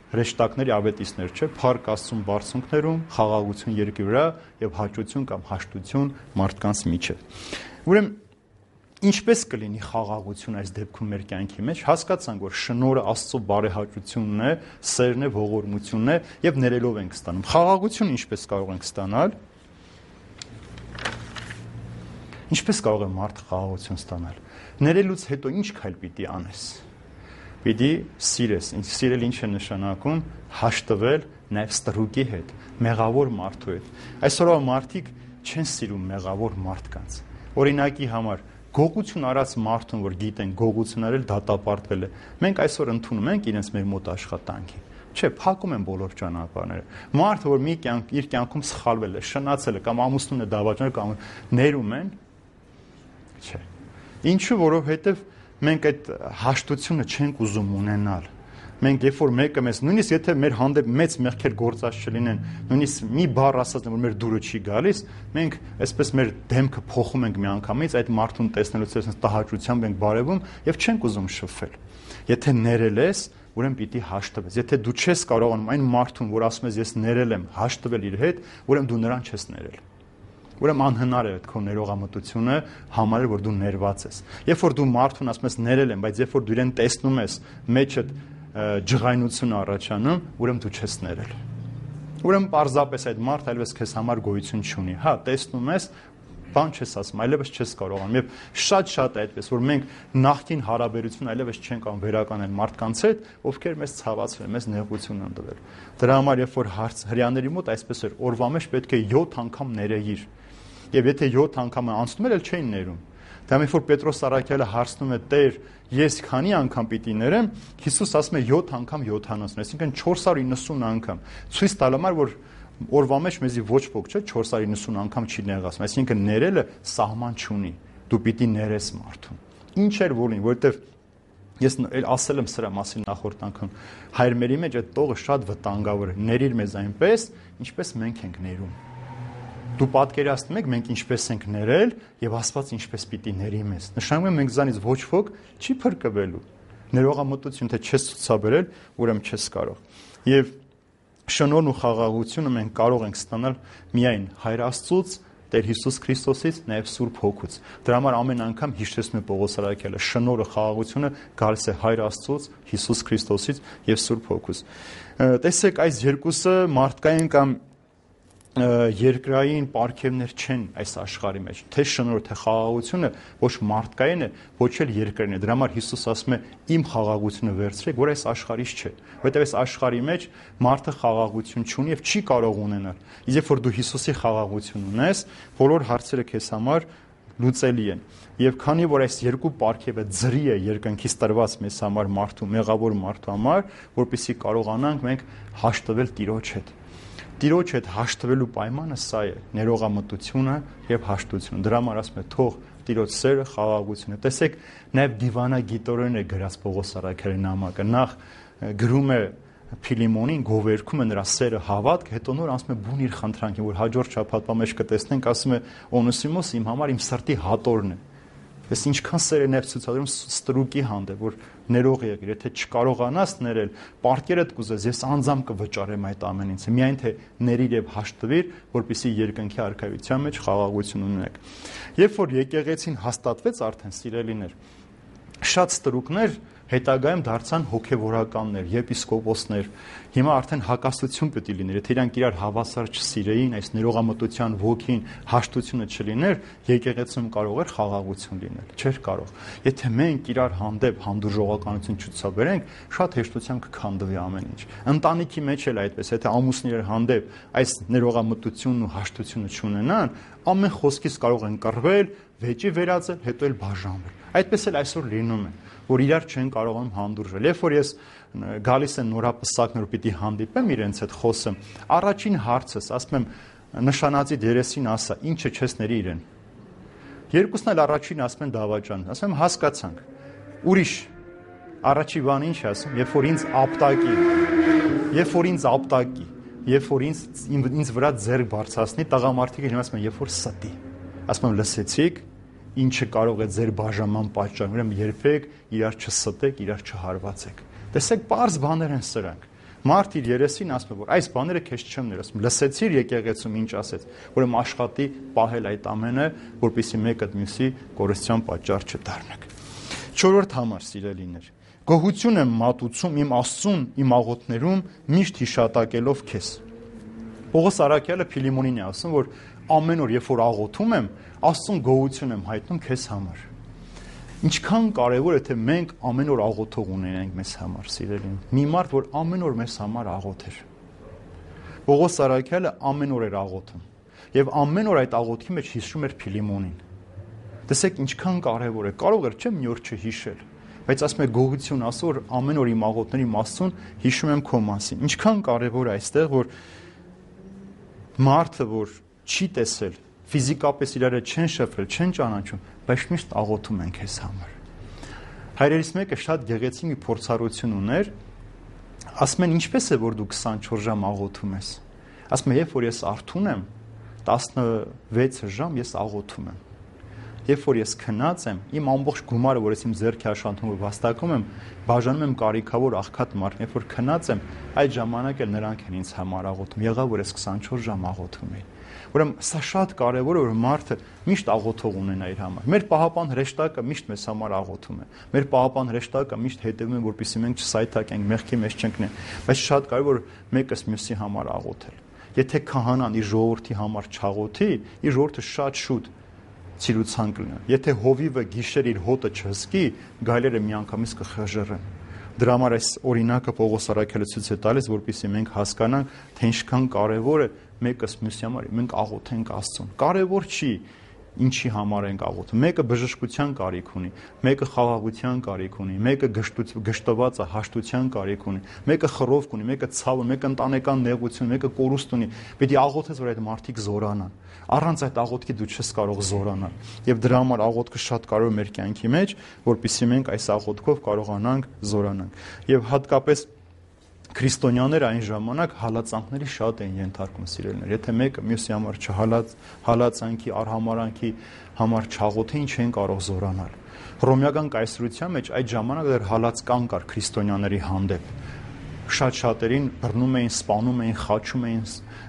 հրեշտակների ավետիցներ, չէ, փառք Աստծուն բարձունքներում, խաղաղություն երկրի վրա եւ հաճություն կամ հաշտություն մարդկանց միջև։ Ուրեմն ինչպես կլինի խաղաղություն այս դեպքում մեր կյանքի մեջ, հասկացանք, որ շնորհը Աստծո բարեհաճությունն է, սերն է, ողորմությունն է եւ ներելով ենք ստանում։ Խաղաղությունը ինչպես կարող ենք ստանալ։ Ինչպես կարող է մարդը խաղաղություն ստանալ։ Ներելուց հետո ինչ քայլ պիտի անես։ Պիտի սիրես։ Սիրել ինչ է նշանակում, հաշտվել նաև ստրուկի հետ, մեղավոր մարդու հետ։ Այսօրվա մարդիկ չեն սիրում մեղավոր մարդկանց։ Օրինակի համար գողություն արած մարդուն, որ գիտեն գողություն արել, դատապարտվել է։ Մենք այսօր ընդունում ենք իրենց մեր մոտ աշխատանքի։ Չէ, փակում են բոլոր ճանապարհները։ Մարդը, որ իր կյանքում սխալվել է, շնացել է կամ ամուսնուն է դավաճանել կամ ներում են, չէ։ Ինչու, որովհետև մենք այդ հաշտությունը չենք ուզում ունենալ։ Մենք երբ որ մեկը մեզ, նույնիսկ եթե մեր հանդեպ մեծ մեղքեր գործած չլինեն, նույնիսկ մի բառ ասած որ մեր դուրը չի գալիս, մենք այսպես մեր դեմքը փոխում ենք միանգամից, այդ մարդուն տեսնելուց այսպես տհաճությամբ ենք բարևում եւ չենք ուզում շփվել։ Եթե ներել ես, ուրեմն պիտի հաշտվես։ Եթե դու չես կարողանում այն մարդուն, որ ասում ես ես ներել եմ, հաշտվել իր հետ, ուրեմն դու նրան չես ներել։ Ուրեմն անհնար է այդ քո ներողամտությունը համարել, որ դու ներված ես։ Երբ որ դու մարդուն ասում ես ներել եմ, բայց երբ որ դու իրեն տեսնում ես, մեջդ ջղայնություն առաջանում, ուրեմն դու չես ներել։ Ուրեմն պարզապես այդ մարդը այլևս քեզ համար գոյություն չունի։ Հա, տեսնում ես, բան չես ասում, այլևս չես կարողանում։ Եվ շատ է այդպես, որ մենք նախկին հարաբերություն այլևս չենք կարող վերականգնել մարդկանց հետ, ովքեր մեզ ցավացրել, մեզ նեղություն են տվել։ Դրա համար երբ որ հрьяաների մոտ այսպես էր, օրվա մեջ պետք է 7 անգամ ներեիր։ Եվ եթե 7 անգամ անցնում էր, էլ չէին ներում։ Դա երբ որ Պետրոս Առաքյալը հարցնում է Տեր, ես քանի անգամ պիտի ներեմ, Հիսուս ասում է 7 անգամ 70, այսինքն 490 անգամ։ Ցույց տալու համար, որ օրվա մեջ մեզի ոչ ոք չէ 490 անգամ չի նեղացում, այսինքն ներելը սահման չունի։ Դու պիտի ներես մարդուն։ Ինչ էր որին, որովհետև ես ասել եմ սրա մասին նախորդ անգամ, հայրմերի մեջ այդ տողը շատ վտանգավոր է։ Ներիր մեզ այնպես, ինչպես մենք ենք ներում։ Դու պատկերացնում եք մենք ինչպես ենք ներել եւ Աստված ինչպես պիտի ների մեզ։ Նշանակում է մենք զանից ոչ ոք չի փրկվելու։ Ներողամտություն թե չես ցուցաբերել, ուրեմն չես կարող։ Եվ շնորհն ու խաղաղությունը մենք կարող ենք ստանալ միայն Հայր Աստծուց, Տեր Հիսուս Քրիստոսից, նաեւ Սուրբ Հոգուց։ Դրա համար ամեն անգամ հիշեցնում է Պողոս Առաքյալը, շնորհը, խաղաղությունը գալիս է Հայր Աստծուց, Հիսուս Քրիստոսից եւ Սուրբ Հոգուց։ Տեսեք, այս երկուսը մարդկային կամ երկրային պարգևներ չեն այս աշխարհի մեջ, թե շնորհը, թե խաղաղությունը ոչ մարդկային է, ոչ էլ երկրային է։ Դրա համար Հիսուս ասում է իմ խաղաղությունը վերցրեք, որ այս աշխարհից չէ, որովհետև այս աշխարհի մեջ մարդը խաղաղություն չունի եւ չի կարող ունենալ։ Իսկ երբ որ դու Հիսուսի խաղաղություն ունես, բոլոր հարցերը քեզ համար լուծելի են։ Եվ քանի որ այս երկու պարգևը ձրի է երկնքից տրված մեզ համար մարդու, մեղավոր մարդու համար, որպեսզի կարողանանք մենք հաշտվել Տիրոջ հետ։ Տիրոջ հետ հաշտվելու պայմանը սա է, ներողամտությունը եւ հաշտությունը։ Դրա համար ասում է թող Տիրոջ սերը, խաղաղությունը։ Տեսեք, նաեւ դիվանագիտորեն է գրած Պողոս Առաքյալի նամակը։ Նախ գրում է Փիլիմոնին, գովերքում է նրա սերը հավատք, հետո նոր ասում է բուն իր խնդրանքին, որ հաջորդ շաբաթվա մեջ կտեսնենք, ասում է Օնեսիմոս իմ համար իմ սրտի հատորն է։ Ես ինչքան սեր է ներս ցուցադրում ստրուկի հանդեպ, որ ներող եղիր, եթե չկարողանաս ներել, պարտքերդ կուզես, ես անձամբ կվճարեմ այդ ամենից։ Միայն թե ներիր եւ հաշտվիր, որպեսզի երկնքի արքայության մեջ խաղաղություն ունենաք։ Երբ որ եկեղեցին հաստատվեց արդեն սիրելիներ, շատ ստրուկներ հետագայում դարձան հոգևորականներ, եպիսկոպոսներ։ Հիմա արդեն հակասություն պետք է լիներ, եթե իրանք իրար հավասար չսիրեին, այս ներողամտության ոգին, հաշտությունը չլիներ, եկեղեցում կարող էր խաղաղություն լինել, չէր կարող։ Եթե մենք իրար հանդեպ հանդուրժողականություն չցուցաբերենք, շատ հեշտությամբ կքանդվի ամեն ինչ։ Ընտանիքի մեջ էլ այդպես, եթե ամուսնիներ հանդեպ այս ներողամտությունն ու հաշտությունը չունենան, ամեն խոսքից կարող են կռվել, վեճի վերածել, հետո էլ բաժանվել։ Այդպես էլ այսօր լինում է, որ իրար չեն կարողանում հանդուրժել։ Երբ որ ես գալիս են նորապսակներ, որ պիտի հանդիպեմ իրենց հետ խոսեմ, առաջին հարցս, ասում եմ, նշանածի դերեսին ասա, ինչը չես ների իրեն։ Երկուսն էլ առաջին ասում են դավաճան, ասում եմ հասկացանք։ Ուրիշ առաջի բան ինչ ասում, երբ որ ինձ ապտակի, երբ որ ինձ վրա ձեռք բարձրացնի, տղամարդիկը հիմա ասում են, երբ որ ստի։ Ասում եմ լսեցիք, ինչը կարող է ձեր բաժանման պատճառ, ուրեմն երբեք իրար չստեք, իրար չհարվածեք։ Տեսեք, པարզ բաներ են սրանք։ Մարդ իր երեսին ասում է, որ այս բաները քեզ չեմ ներասում։ Լսեցիր եկեղեցում ինչ ասեց, ուրեմն աշխատի պահել այդ ամենը, որպեսզի մեկը մյուսի կորստյան պատճառ չդառնաք։ 4-րդ համար, սիրելիներ, գոհություն եմ մատուցում իմ Աստծուն, իմ աղոթներում միշտ հիշատակելով քեզ։ Պողոս Առաքյալը Փիլիմոնին է ասում, որ ամեն օր, երբ որ աղոթում եմ, Աստծուն գոհություն եմ հայտնում քեզ համար։ Ինչքան կարևոր է թե մենք ամեն օր աղոթող ունենանք մեզ համար, սիրելին։ Մի մարդ, որ ամեն օր մեզ համար աղոթեր։ Պողոս Առաքյալը ամեն օր էր աղոթում, եւ ամեն օր այդ աղոթքի մեջ հիշում էր Փիլիմոնին։ Տեսեք ինչքան կարևոր է։ Կարող էր չէ՞ մի օր չհիշել, բայց ասում է գոհություն ասո, որ ամեն օր իմ աղոթների Աստծուն հիշում եմ քո մասին։ Ինչքան կարևոր է այստեղ, որ մարդը, որ չի տեսել, ֆիզիկապես իրար չեն շփվել, չեն ճանաչում, բայց միշտ աղոթում են քեզ համար։ Հայրերից մեկը շատ գեղեցիկ մի փորձառություն ուներ, Ասում են ինչպես է որ դու 24 ժամ աղոթում ես։ Ասում եմ երբ որ ես արթուն եմ 16 ժամ ես աղոթում եմ։ Երբ որ ես քնած եմ, իմ ամբողջ գումարը, որ ես իմ ձեռքի աշխատում ու վաստակում եմ, բաժանում եմ կարիքավոր աղքատ մարդն, երբ որ քնած եմ, այդ ժամանակ էլ նրանք են ինձ համար աղոթում։ Եղավ որ ես 24 ժամ աղոթում եմ։ Ուրեմն սա շատ կարևոր է, որ մարդը միշտ աղոթող ունենա իր համար։ Մեր պահապան հրեշտակը միշտ մեզ համար աղոթում է։ Մեր պահապան հրեշտակը միշտ հետևում է, որպեսզի մենք չսայթակենք, մեղքի մեջ չընկնենք, բայց շատ կարևոր մեկս մյուսի համար աղոթել։ Եթե քահանան իր ժողովրդի համար չաղոթի, իր ժողովուրդը շատ շուտ ցիրուցան կլինի։ Եթե հովիվը գիշեր իր հոտը չհսկի, գայլերը միանգամից կխժռեն։ Դրա համար այս օրինակը Պողոս առաքյալը ցույց է տալիս, որպեսզի մենք հասկանանք, թե ինչքան կարևոր է մեկս մյուսի համար մենք աղոթենք Աստծուն։ Կարևոր չի ինչի համար ենք աղոթում։ Մեկը բժշկության կարիք ունի, մեկը խաղաղության կարիք ունի, մեկը գժտված է, հաշտության կարիք ունի, մեկը խռովք ունի, մեկը ցավ, մեկը ընտանեկան նեղություն, մեկը կորուստ ունի։ Պետք է աղոթես, որ այդ մարդիկ զորանան։ Առանց այդ աղոթքի դու չես կարող զորանալ։ Եվ դրա համար աղոթքը շատ կարևոր է մեր կյանքի մեջ, որպեսզի մենք այս աղոթքով կարողանանք զորանանք։ Եվ հատկապես քրիստոնյաները այն ժամանակ հալածանքների շատ են ենթարկում սիրելիներ։ Եթե մեկը մյուսի համար հալածանքի, արհամարանքի համար չաղոթի, ինչ են կարող զորանալ։ Հռոմեական կայսրության մեջ այդ ժամանակ դեռ հալածկան կար քրիստոնյաների հանդեպ։ Շատ-շատերին բռնում էին, սպանում էին, խաչում էին,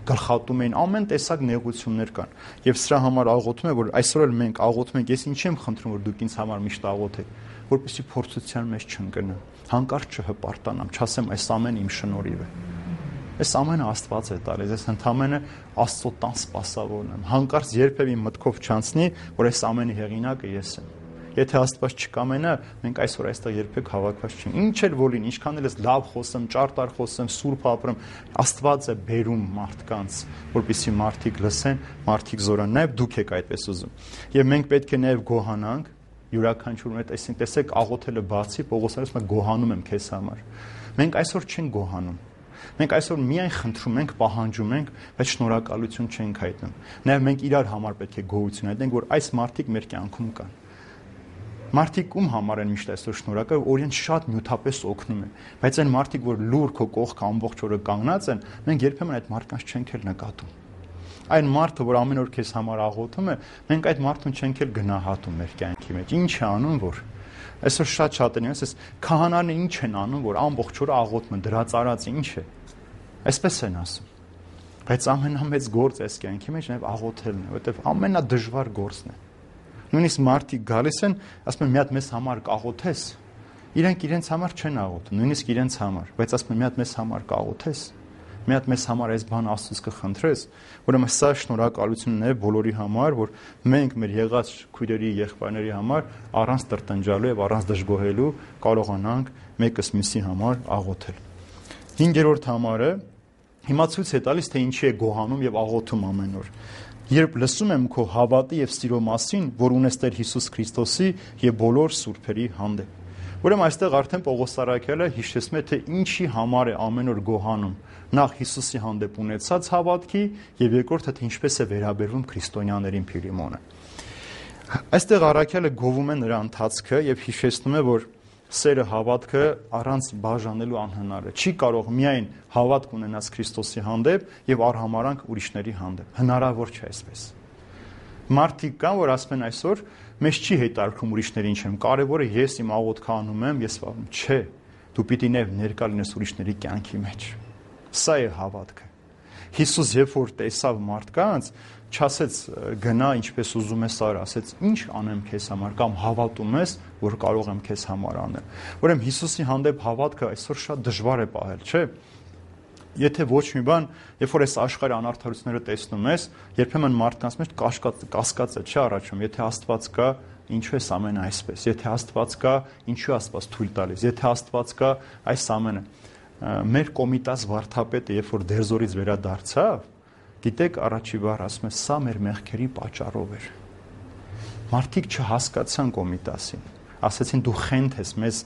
գլխատում էին, ամեն տեսակ նեղություններ կան։ Եվ սրա համար աղոթում է, որ այսօր էլ մենք աղոթում ենք, ես ինչ եմ խնդրում, որ դուք ինձ համար միշտ աղոթեք, որպեսզի փորձության մեջ չընկնեմ, հանկարծ չհպարտանամ, չասեմ այս ամենը իմ շնորհիվ է։ Այս ամենը Աստված է տալիս, ես ընդամենը Աստծո տան սպասավորն եմ։ Հանկարծ երբևէ մտքով չանցնի, որ այս ամենի հեղինակը ես եմ։ Եթե Աստված չկամենա, մենք այսօր այստեղ երբեք հավաքված չենք։ Ինչ էլ որ լինի, ինչքան էլ ես լավ խոսեմ, ճարտար խոսեմ, սուրբ ապրեմ, Աստված է բերում մարդկանց, որպեսզի մարդիկ լսեն, մարդիկ զորան։ Նաև դուք եք այդպես ուզում։ Եվ մենք պետք է նաև գոհանանք յուրաքանչյուրն այդ այսինքն տեսեք աղոթելը բացի Պողոսը ասում է գոհանում եմ քեզ համար։ Մենք այսօր չենք գոհանում։ Մենք այսօր միայն խնդրում ենք, պահանջում ենք, բայց շնորհակալություն չենք հայտնում։ Նաև մենք իրար համար պետք է գոհություն հայտնենք, որ այս մարդիկ մեր կյանքում կան։ Մարդիկ ում համար են միշտ այսօր շնորհակալ, օրինակ շատ նյութապես օգնում են, բայց այն մարդիկ, որ լուր քո կողքը ամբողջ օրը կանգնած են, մենք երբեմն այդ մարդկանց չենք էլ նկատում։ Այն մարդը, որ ամեն օր քեզ համար աղոթում է, մենք այդ մարդուն չենք էլ գնահատում մեր կյանքի մեջ։ Ինչ է անում, որ այսօր շատ են ասես, քահանաները ինչ են անում, որ ամբողջ օրը աղոթում են, դրած արած ինչ է։ Այսպես են ասում։ Բայց ամենամեծ գործ այս կյանքի մեջ նաև աղոթելն է, որովհետև ամենադժվար գործն է։ Նույնիսկ մարդիկ գալիս են, ասում են մի հատ մեզ համար կաղոթես։ Իրենք իրենց համար չեն աղոթում, նույնիսկ իրենց համար, բայց ասում են մի հատ մեզ համար կաղոթես։ Մի հատ մեզ համար այս բանը Աստծուց կխնդրես, ուրեմն սա շնորհակալությունն է բոլորի համար, որ մենք մեր եղած քույրերի, եղբայրների համար առանց տրտնջալու եւ առանց դժգոհելու կարողանանք մեկս մյուսի համար աղոթել։ 5-րդ համարը հիմա ցույց է տալիս, թե ինչի է գոհանում եւ աղոթում ամեն օր։ Երբ լսում եմ քո հավատի եւ սիրո մասին, որ ունես Տեր Հիսուս Քրիստոսի եւ բոլոր սուրբերի հանդեպ։ Ուրեմն այստեղ արդեն Պողոս առաքյալը հիշեցնում է, թե ինչի համար է ամեն օր գոհանում։ Նախ Հիսուսի հանդեպ ունեցած հավատքի եւ երկրորդը թե ինչպես է վերաբերվում քրիստոնյաներին Փիլիմոնը։ Այստեղ առաքյալը գովում է նրա ընթացքը եւ հիշեցնում է, որ սերը հավատքը առանց բաժանելու անհնար է։ Չի կարող միայն հավատք ունենալ Քրիստոսի հանդեպ եւ արհամարանք ուրիշների հանդեպ։ Հնարավոր չէ այսպես։ Մարդիկ կան, որ ասում են այսօր մեզ չի հետարկում ուրիշները ինչ են։ Կարևորը ես իմ աղոթքը անում եմ, ես վարում։ Չէ, դու պիտի ներկա լինես ուրիշների կյանքի մեջ։ Սա է հավատքը։ Հիսուս երբ որ տեսավ մարդկանց, չասեց գնա ինչպես ուզում ես արա, ասեց ինչ անեմ քեզ համար կամ հավատում ես, որ կարող եմ քեզ համար անել։ Ուրեմն Հիսուսի հանդեպ հավատքը այսօր շատ դժվար է պահել, չէ՞։ Եթե ոչ մի բան, երբ որ այս աշխարհի անարդարությունները տեսնում ես, երբեմն մարդկանց մեջ կասկած է, չէ՞ առաջում, եթե Աստված կա, ինչու է ամենը այսպես։ Եթե Աստված կա, ինչու է Աստված թույլ տալիս։ Եթե Աստված կա, այս ամենը։ Մեր կոմիտաս վարդապետը, երբ որ դերձորից վերադարձավ, գիտեք, առաջի բառ ասում է, սա մեր մեղքերի պատճառով էր։ Մարդիկ չհասկացան կոմիտասին։ Ասեցին դու խենթ ես, մեզ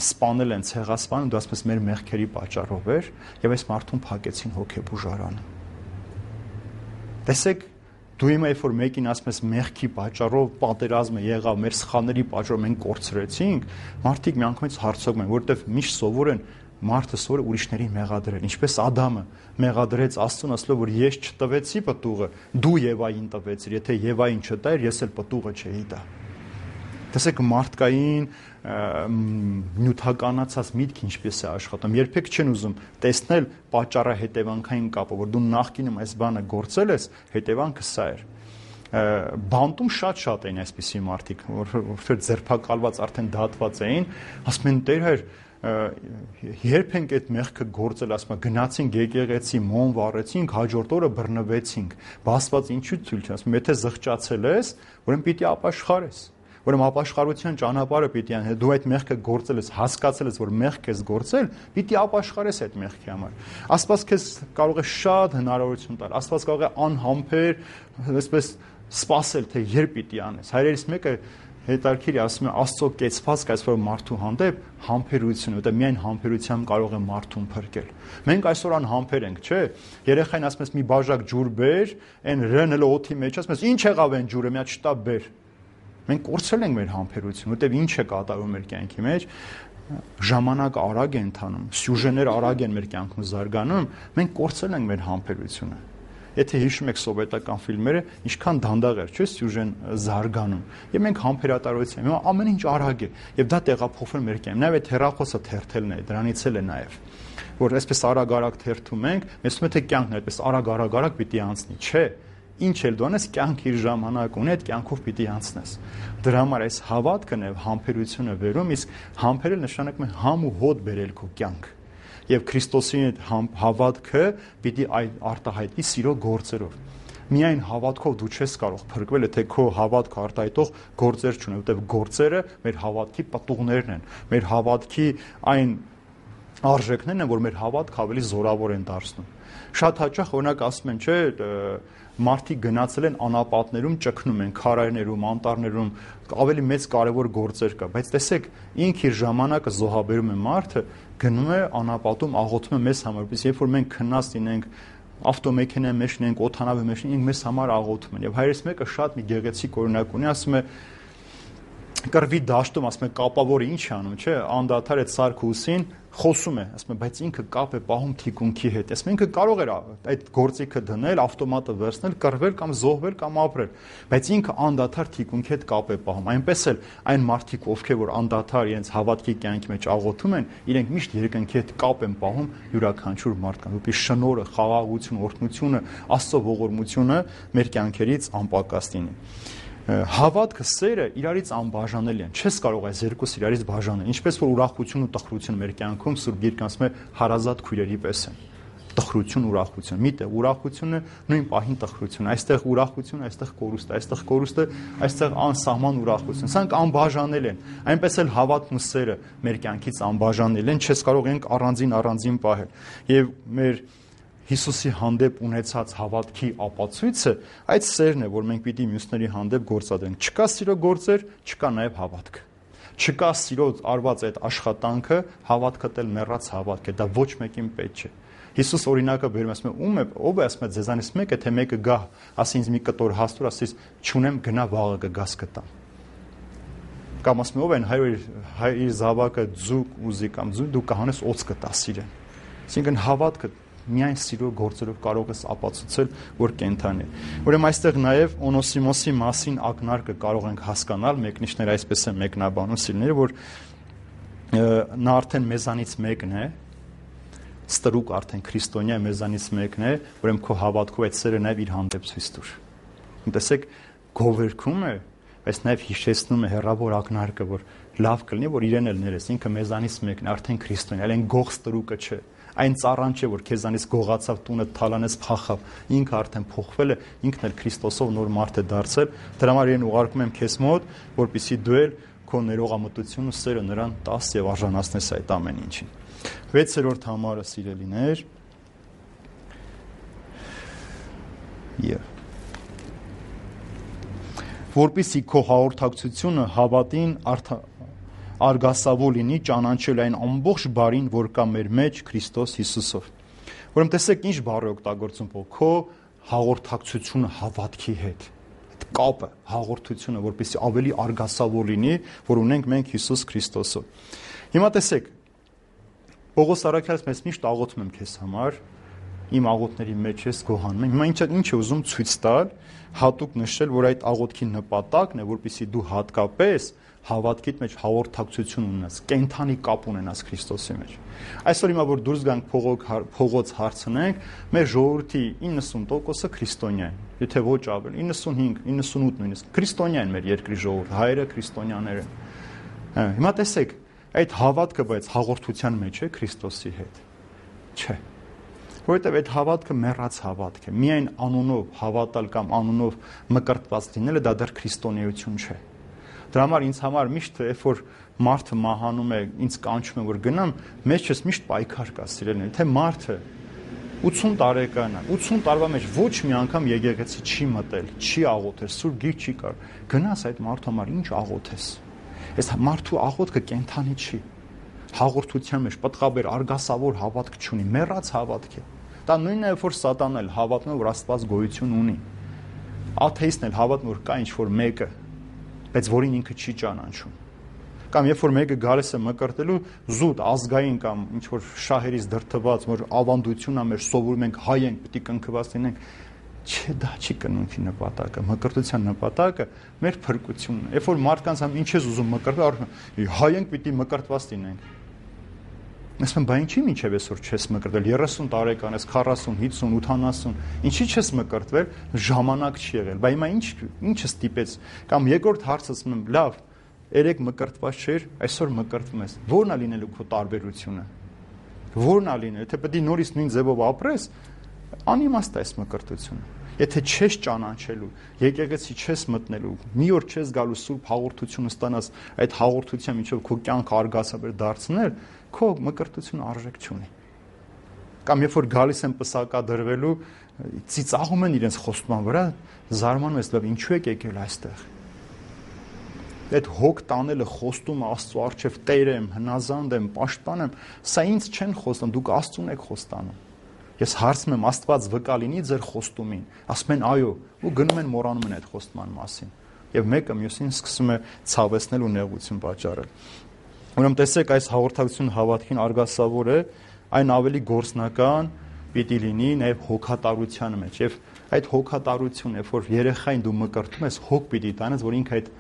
սպանել են, ցեղասպանել, դու ասում ես մեր մեղքերի պատճառով էր, եւ այս մարդուն փակեցին հոգեբուժարանը։ Տեսեք, դու հիմա երբ որ մեկին ասում ես մեղքի պատճառով պատերազմը եղավ, մեր սխալների պատճառով մենք կորցրեցինք, մարդիկ միանգամից հարցնում են, որովհետեւ միշտ սովոր են մարդը սովոր ուրիշներին մեղադրել, ինչպես Ադամը մեղադրեց Աստծուն, ասելով որ ես չտվեցի պտուղը, դու Եվային տվեցիր, եթե Եվային չտայր, ես էլ պտուղը չէի տա։ Տեսեք մարդկային նյութականացած միտք ինչպես է աշխատում։ Երբեք չեն ուզում տեսնել պատճառահետևանքային կապը, որ դու նախկինում այս բանը գործել ես, հետևանքը սա էր։ Բանտում շատ էին այսպիսի մարդիկ, որ ձերբակալված արդեն դատված էին, ասում են Տեր հայր, երբ ենք այդ մեղքը գործել, ասում են գնացինք եկեղեցի, մոմ վառեցինք, հաջորդ օրը բռնվեցինք, Աստված ինչու ցույց չի ասում, եթե զղջացել ես, ուրեմն պիտի ապաշխարես, ուրեմն ապաշխարության ճանապարհը պիտի անես, դու այդ մեղքը գործել ես, հասկացել ես, որ մեղք ես գործել, պիտի ապաշխարես այդ մեղքի համար։ Աստված քեզ կարող է շատ հնարավորություն տալ, Աստված կարող է անհամբեր, այսպես սпасել, թե երբ պիտի անես։ Հայրերից մեկը հետարքիր ասում է Աստծո կեցվածք այսօր մարդու հանդեպ համբերություն, որտեղ միայն համբերությամբ կարող է մարդուն փրկել։ Մենք այսօր անհամբեր ենք, չէ՞։ Երեխային ասում ես մի բաժակ ջուր բեր, այն ռնել օդի մեջ, ասում ես ինչ եղավ այն ջուրը, մի հատ շտապ բեր։ Մենք կորցրել ենք մեր համբերությունը, որտեղ ինչ է կատարվում մեր կյանքի մեջ, ժամանակը արագ է ընթանում, սյուժեներ արագ են մեր կյանքում զարգանում, մենք կորցրել ենք մեր համբերությունը։ Եթե հիշում եք սովետական ֆիլմերը, ինչքան դանդաղ էր, չէ՞, սյուժեն զարգանում։ Եվ մենք համբերատարություն, հիմա ամեն ինչ արագ է, եւ դա տեղափոխվել մեր կյանքում։ Նաեւ այդ հեռախոսը թերթելն է, դրանից էլ է նաեւ, որ այսպես արագ-արագ թերթում ենք, մեզ թվում է թե կյանքն է այդպես արագ-արագ պիտի անցնի, չէ։ Ինչ էլ դու անես, կյանք իր ժամանակ ունի, այդ կյանքով պիտի անցնես։ Դրա համար այս հավատքն է համբերությունը վերում, իսկ համբերել նշանակում է համ ու հոտ բերել քո կյանք։ Եվ Քրիստոսի հավատքը պիտի արտահայտվի սիրո գործերով։ Միայն հավատքով դու չես կարող փրկվել, եթե քո հավատքը արտահայտող գործեր չունի, որտեղ գործերը մեր հավատքի պատուղներն են, մեր հավատքի այն արժեքներն են, որ մեր հավատքը ավելի զորավոր են դարձնում։ Շատ հաճախ օրինակ ասում են, չէ, մարդիկ գնացել են անապատներում, ճգնում են քարայրներում, անտառներում, ավելի մեծ կարևոր գործեր կա, բայց տեսեք, ինքը իր ժամանակը զոհաբերում է մարդը, գնում է անապատում, աղոթում է մեզ համար, որպես երբ որ մենք քնած լինենք, ավտոմեքենայի մեջ լինենք, օդանավի մեջ լինենք, մեզ համար աղոթում են։ Եվ հայրս մեկը շատ մի գեղեցիկ օրինակ ունի, ասում է կռվի դաշտում, ասում է կապավորը ինչ է անում, չէ, անդադար այդ սարքուսին խոսում է, ասում է, բայց ինքը կապ է պահում թիկունքի հետ։ Ասում ինքը կարող էր այդ գործիքը դնել, ավտոմատը վերցնել, կռվել կամ զոհվել կամ ապրել, բայց ինքը անդադար թիկունքի հետ կապ է պահում։ Այնպես էլ այն մարդիկ, ովքեր որ անդադար իրենց հավատքի կյանքի մեջ աղոթում են, իրենք միշտ երկնքի հետ կապ են պահում յուրաքանչյուր մարդկանց, որպեսզի շնորհը, խաղաղությունը, օրհնությունը, Աստծո ողորմությունը մեր կյանքերից անպակաս լինի։ Հավատքը, սերը իրարից անբաժանելի են։ Չես կարող այս երկուսը իրարից բաժանել։ Ինչպես որ ուրախություն ու տխրություն մեր կյանքում Սուրբ Գիրքն ասում է հարազատ քույրերի պես են։ Տխրություն, ուրախություն։ Միտեղ ուրախությունը նույն պահին տխրություն։ Այստեղ ուրախություն, այստեղ կորուստ, այստեղ կորուստը, այստեղ անսահման ուրախություն։ Սրանք անբաժանել են։ Այնպես էլ հավատն ու սերը մեր կյանքից անբաժանել են, չես կարող ենք առանձին պահել։ Եվ մեր Հիսուսի հանդեպ ունեցած հավատքի ապացույցը այդ սերն է, որ մենք պիտի մյուսների հանդեպ գործադրենք։ Չկա սիրո գործեր, չկա նաև հավատք։ Չկա սիրո արված այդ աշխատանքը, հավատքը դել մեռած հավատք է, դա ոչ մեկին պետք չէ։ Հիսուս օրինակը բերում ասում է, ով է ասում է ձեզանից մեկը, թե մեկը գա, ասի ինձ մի կտոր հաստուր, ասի չունեմ, գնա վաղը կգաս կտամ։ Կամ ասում է, ով են հայր իր զավակը ձուկ ուզի կամ ձու, դու կհանես օծ կտաս իրեն։ Այսինքն հավատքը միայն սիրո գործերով կարող ես ապացուցել, որ կենթանի է։ Ուրեմն այստեղ նաև Օնոսիմոսի մասին ակնարկը կարող ենք հասկանալ, մեկնիշները այսպես են մեկնաբանում սիրելիները, որ նա արդեն մեզանից մեկն է, ստրուկ արդեն քրիստոնյա մեզանից մեկն է, ուրեմն քո հավատքով այդ սերը նաև իր հանդեպ ցույց տուր։ Տեսեք, գովերքում է, բայց նաև հիշեցնում է հեռավոր ակնարկը, որ լավ կլինի, որ իրեն էլ ներես, ինքը մեզանից մեկն է, արդեն քրիստոնյա, այլ այն գող ստրուկը չէ։ Այն ծառան չէ, որ քեզանից գողացավ, տունը թալանեց, փախավ։ Ինքը արդեն փոխվել է, ինքն էլ Քրիստոսով նոր մարդ է դարձել։ Դրա համար իրեն ուղարկում եմ քեզ մոտ, որպեսզի դու էլ քո ներողամտությունն ու սերը նրան տաս եւ արժանացնես այդ ամեն ինչին։ 6-րդ համարը, սիրելիներ, որպեսզի քո հաղորդակցությունը հավատին արգասավո լինի, ճանաչել այն ամբողջ բարին, որ կա մեր մեջ Քրիստոս Հիսուսով։ Ուրեմն տեսեք ինչ բառ է օգտագործում Պողոս, քո հաղորդակցությունը հավատքի հետ։ Այդ կապը, հաղորդությունը, որպեսզի ավելի արգասավո լինի, որ ունենք մենք Հիսուս Քրիստոսով։ Հիմա տեսեք, Պողոս առաքյալը մեզ միշտ աղոթում եմ քեզ համար, իմ աղոթների մեջ ես գոհանում եմ։ Հիմա ինչ է ուզում ցույց տալ, հատուկ նշել, որ այդ աղոթքի նպատակն է, որպեսզի դու հատկապես հավատքիդ մեջ հաղորդակցություն ունենաս, կենթանի կապ ունենաս Քրիստոսի մեջ։ Այսօր հիմա որ դուրս գանք փողոց հարցնենք, մեր ժողովրդի 90%-ը քրիստոնյա են, եթե ոչ ավել, 95, 98 նույնիսկ քրիստոնյա են մեր երկրի ժողովուրդը, հայերը քրիստոնյաներ են։ Հիմա տեսեք, այդ հավատքը բայց հաղորդության մեջ է Քրիստոսի հետ։ Չէ։ Որովհետև այդ հավատքը մեռած հավատք է։ Միայն անունով հավատալ կամ անունով մկրտված լինելը դա դեռ քրիստոնեություն չէ։ Դրա համար ինձ համար միշտ երբ որ մարդը մահանում է, ինձ կանչում է որ գնամ, մեջս միշտ պայքար կա սիրելիներ, թե մարդը 80 տարեկան է, 80 տարվա մեջ ոչ մի անգամ եկեղեցի չի մտել, չի աղոթել, սուրբ գիր չի կար։ Գնաս այդ մարդու համար ինչ աղոթես։ Այս մարդու աղոթքը կենթանի չի։ Հաղորդության մեջ պտղաբեր արգասավոր հավատք չունի, մեռած հավատք է։ Դա նույնն է, որ սատանան էլ հավատում է, որ Աստված գոյություն ունի։ Աթեիստն էլ հավատում որ կա ինչ-որ մեկը, բայց որին ինքը չի ճանաչում։ Կամ երբ որ մեկը գալիս է մկրտելու զուտ ազգային կամ ինչ-որ շահերից դրդված, որ ավանդությունն է մեր սովորում ենք, հայ ենք, պետք է կնքված լինենք, չէ, դա չի կնունքի նպատակը, մկրտության նպատակը մեր փրկությունն է։ Երբ որ մարդկանց համ ինչ ես ուզում մկրտել, հայ ենք, պետք է մկրտված լինենք։ Ասում եմ, բա ինչի՞ մինչև այսօր չես մկրտվել, 30 տարեկան ես, 40, 50, 80, ինչի՞ չես մկրտվել, ժամանակ չի եղել։ Բա հիմա ինչը ստիպեց։ Կամ երկրորդ հարցը ասում եմ, լավ, երեք մկրտված չէր, այսօր մկրտվում ես։ Ո՞րն է լինելու քո տարբերությունը։ Ո՞րն է լինելու, թե պետք է նորից նույն ձևով ապրես, անիմաստ է այս մկրտությունը։ Եթե չես ճանաչելու, եկեղեցի չես մտնելու, մի օր չես գալու սուրբ հաղորդությունը ստանաս, այդ հաղորդության միջով քո կյանքը արգասաբեր դարձնել, քո մկրտությունը արժեք չունի։ Կամ երբ որ գալիս են պսակադրվելու, ծիծաղում են իրենց խոստման վրա, զարմանում ես, լավ, ինչու եք եկել այստեղ։ Այդ հոգ տանելը խոստումը Աստծո առջև Տեր եմ, հնազանդ եմ, պաշտպան եմ, սա ինձ չեն խոստանում, դուք Աստծուն եք խոստանում։ Ես հարցնում եմ, Աստված վկա լինի ձեր խոստումին, ասում են այո, ու գնում են մոռանում են այդ խոստման մասին։ Եվ մեկը մյուսին սկսում է ցավեցնել ու նեղություն պատճառել։ Ուրեմն տեսեք, այս հաղորդակցությունը հավատքին արգասավոր է, այն ավելի գործնական պիտի լինի նաև հոգատարության մեջ։ Եվ այդ հոգատարությունը, երբ որ երեխային դու մկրտում ես, հոգ պիտի տանես, որ ինքը այդ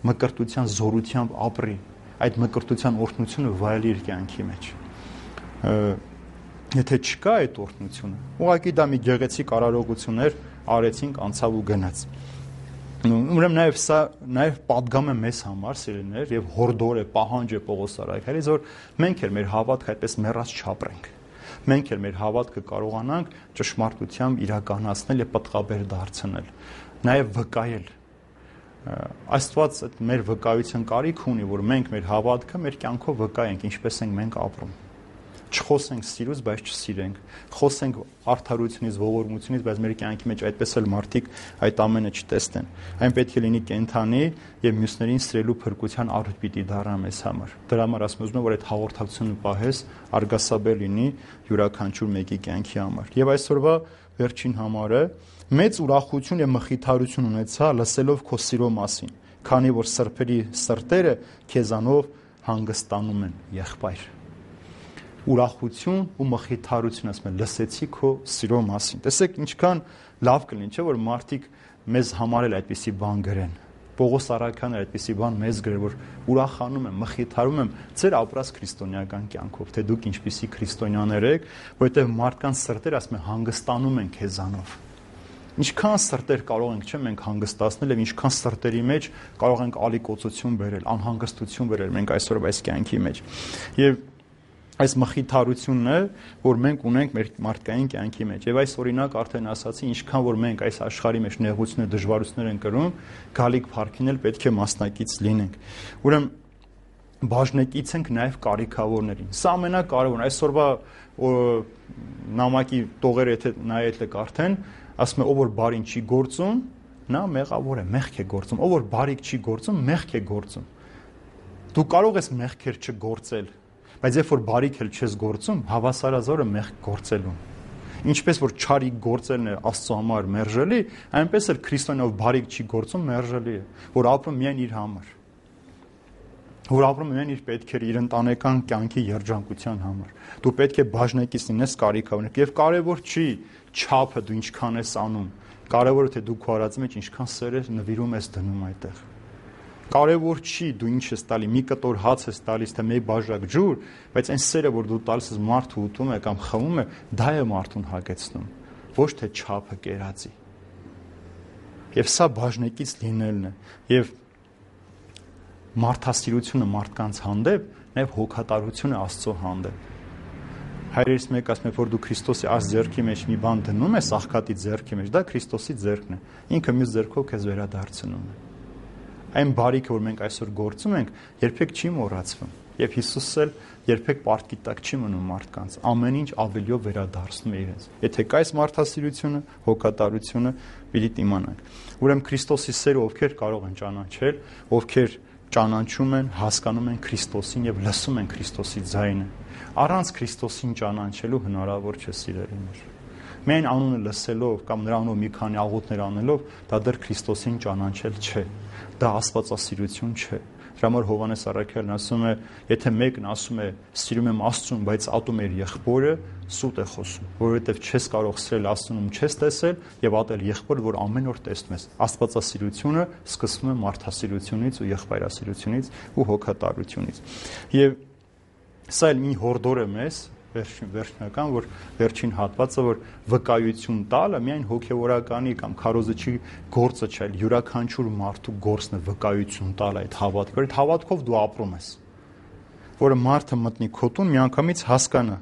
մկրտության զորությամբ ապրի, այդ մկրտության օրհնությունը վայելի իր կյանքի մեջ։ Եթե չկա այդ օրհնությունը, ուղղակի դա մի գեղեցիկ արարողություններ արեցինք, անցավ ու գնաց։ Ուրեմն նաև սա նաև պատգամ է մեզ համար, սիրելիներ, եւ հորդոր է, պահանջ է Պողոս առաքյալից, որ մենք էլ մեր հավատքը այդպես մեռած չապրենք։ Մենք էլ մեր հավատքը կարողանանք ճշմարտությամբ իրականացնել եւ պտղաբեր դարձնել, նաև վկայել։ Աստված այդ մեր վկայության կարիք ունի, որ մենք մեր հավատքը մեր կյանքով վկայենք, ինչպես ենք մենք ապրում։ Չխոսենք սիրուց, բայց չսիրենք։ Խոսենք արդարությունից, ողորմությունից, բայց մեր կյանքի մեջ այդպես էլ մարդիկ այդ ամենը չտեսնեն։ Այն պետք է լինի կենթանի եւ մյուսներին սիրելու փրկության առիթ պիտի դառնա մեզ համար։ Դրա համար ասում եմ, որ այդ հաղորդակցությունը պահես արգասաբեր լինի յուրաքանչյուր մեկի կյանքի համար։ Եվ այսօրվա վերջին համարը մեծ ուրախություն եւ մխիթարություն ունեցա լսելով քո սիրո մասին, քանի որ սրբերի սրտերը քեզանով հանգստանում են, եղբայր։ Ուրախություն ու մխիթարություն, ասում եմ, լսեցի քո սիրո մասին։ Տեսեք, ինչքան լավ կլինի, չէ՞ որ մարդիկ մեզ համար էլ այդպիսի բան գրեն։ Պողոս առաքյալն այդպիսի բան մեզ գրել, որ ուրախանում եմ, մխիթարում եմ ձեր ապրած քրիստոնեական կյանքով, թե դուք ինչպիսի քրիստոնյաներ եք, որովհետև մարդկանց սրտերը, ասում եմ, հանգստանում են քեզանով։ Ինչքան սրտեր կարող ենք, չէ՞, մենք հանգստացնել եւ ինչքան սրտերի մեջ կարող ենք ալիքոցություն բերել, անհանգստություն բերել մենք այսօր այս կյանքի մեջ։ Եվ այս մխիթարությունն է, որ մենք ունենք մեր մարդկային կյանքի մեջ։ Եվ այս օրինակ արդեն ասացի, ինչքան որ մենք այս աշխարհի մեջ նեղություններ, դժվարություններ են կրում, գալիք փառքին էլ պետք է մասնակից լինենք։ Ուրեմն բաժնեկից ենք նաև կարիքավորներին։ Սա ամենակարևորն է։ Այսօրվա նամակի տողերը եթե նայել եք արդեն, ասում է ով որ բարին չի գործում, նա մեղավոր է, մեղք է գործում։ Ով որ բարիք չի գործում, մեղք է գործում։ Դու կարող ես մեղքեր չգործել, բայց երբ որ բարիք էլ չես գործում, հավասարազորը մեղք գործելուն։ Ինչպես որ չարիք գործելն է Աստծո համար մերժելի, այնպես էլ քրիստոնյով բարիք չի գործում մերժելի է, որ ապրում միայն իր համար։ որ ապրում են իր պետքերը, իր ընտանեկան կյանքի երջանկության համար։ Դու պետք է բաժնեկից լինես կարիքա ունենաք, եւ կարևոր չի չափը դու ինչքան ես անում, կարևորը թե դու քո արածի մեջ ինչքան սեր ես նվիրում ես դնում այդտեղ։ Կարևոր չի դու ինչ ես տալի, մի կտոր հաց ես տալիս, թե մի բաժակ ջուր, բայց այն սերը, որ դու տալիս ես մարդը ուտում է կամ խմում է, դա է մարդուն հագեցնում, ոչ թե չափը կերածի։ Եվ սա բաժնեկից լինելն է, եւ մարդասիրությունը մարդկանց հանդեպ, նաեւ հոգատարությունը Աստծո հանդեպ։ Հայրերից մեկը ասում է, որ դու Քրիստոսի այս ձեռքի մեջ մի բան դնում ես, աղքատի ձեռքի մեջ, դա Քրիստոսի ձեռքն է։ Ինքը մյուս ձեռքով քեզ վերադարձնում է։ Այն բարիքը, որ մենք այսօր գործում ենք, երբեք չի մոռացվում։ Եվ Հիսուսը էլ երբեք պարտքի տակ չի մնում մարդկանց, ամեն ինչ ավելիով վերադարձնում է իրենց։ Եթե կա այս մարդասիրությունը, հոգատարությունը, պիտի իմանանք։ Ուրեմն Քրիստոսի սերը ովքեր կարող են ճանաչել, ովքեր ճանաչում են, հասկանում են Քրիստոսին եւ լսում են Քրիստոսի ձայնը։ Առանց Քրիստոսին ճանաչելու հնարավոր չէ սիրելիներ։ Միայն անունը լսելով կամ նրա անունով մի քանի աղոթներ անելով դա դեռ Քրիստոսին ճանաչել չէ։ Դա աստվածասիրություն չէ։ Դրա համար Հովհաննես առաքյալն ասում է, եթե մեկն ասում է սիրում եմ Աստծուն, բայց ատում է իր եղբորը, սուտ է խոսում, որովհետև չես կարող սիրել Աստծուն, չես տեսել եւ ատել եղբորը, որ ամեն օր տեսնում ես։ Աստվածասիրությունը սկսվում է մարդասիրությունից ու եղբայրասիրությունից ու հոգատարությունից։ Եվ սա էլ մի հորդոր է մեզ վերջնական, որ վերջին հատվածը, որ վկայություն տալը միայն հոգևորականի կամ քարոզչի գործը չէ, յուրաքանչյուր մարդու գործն է վկայություն տալ այդ հավատքը, այդ հավատքով դու ապրում ես, որը մարդը մտնի քո տուն միանգամից հասկանա,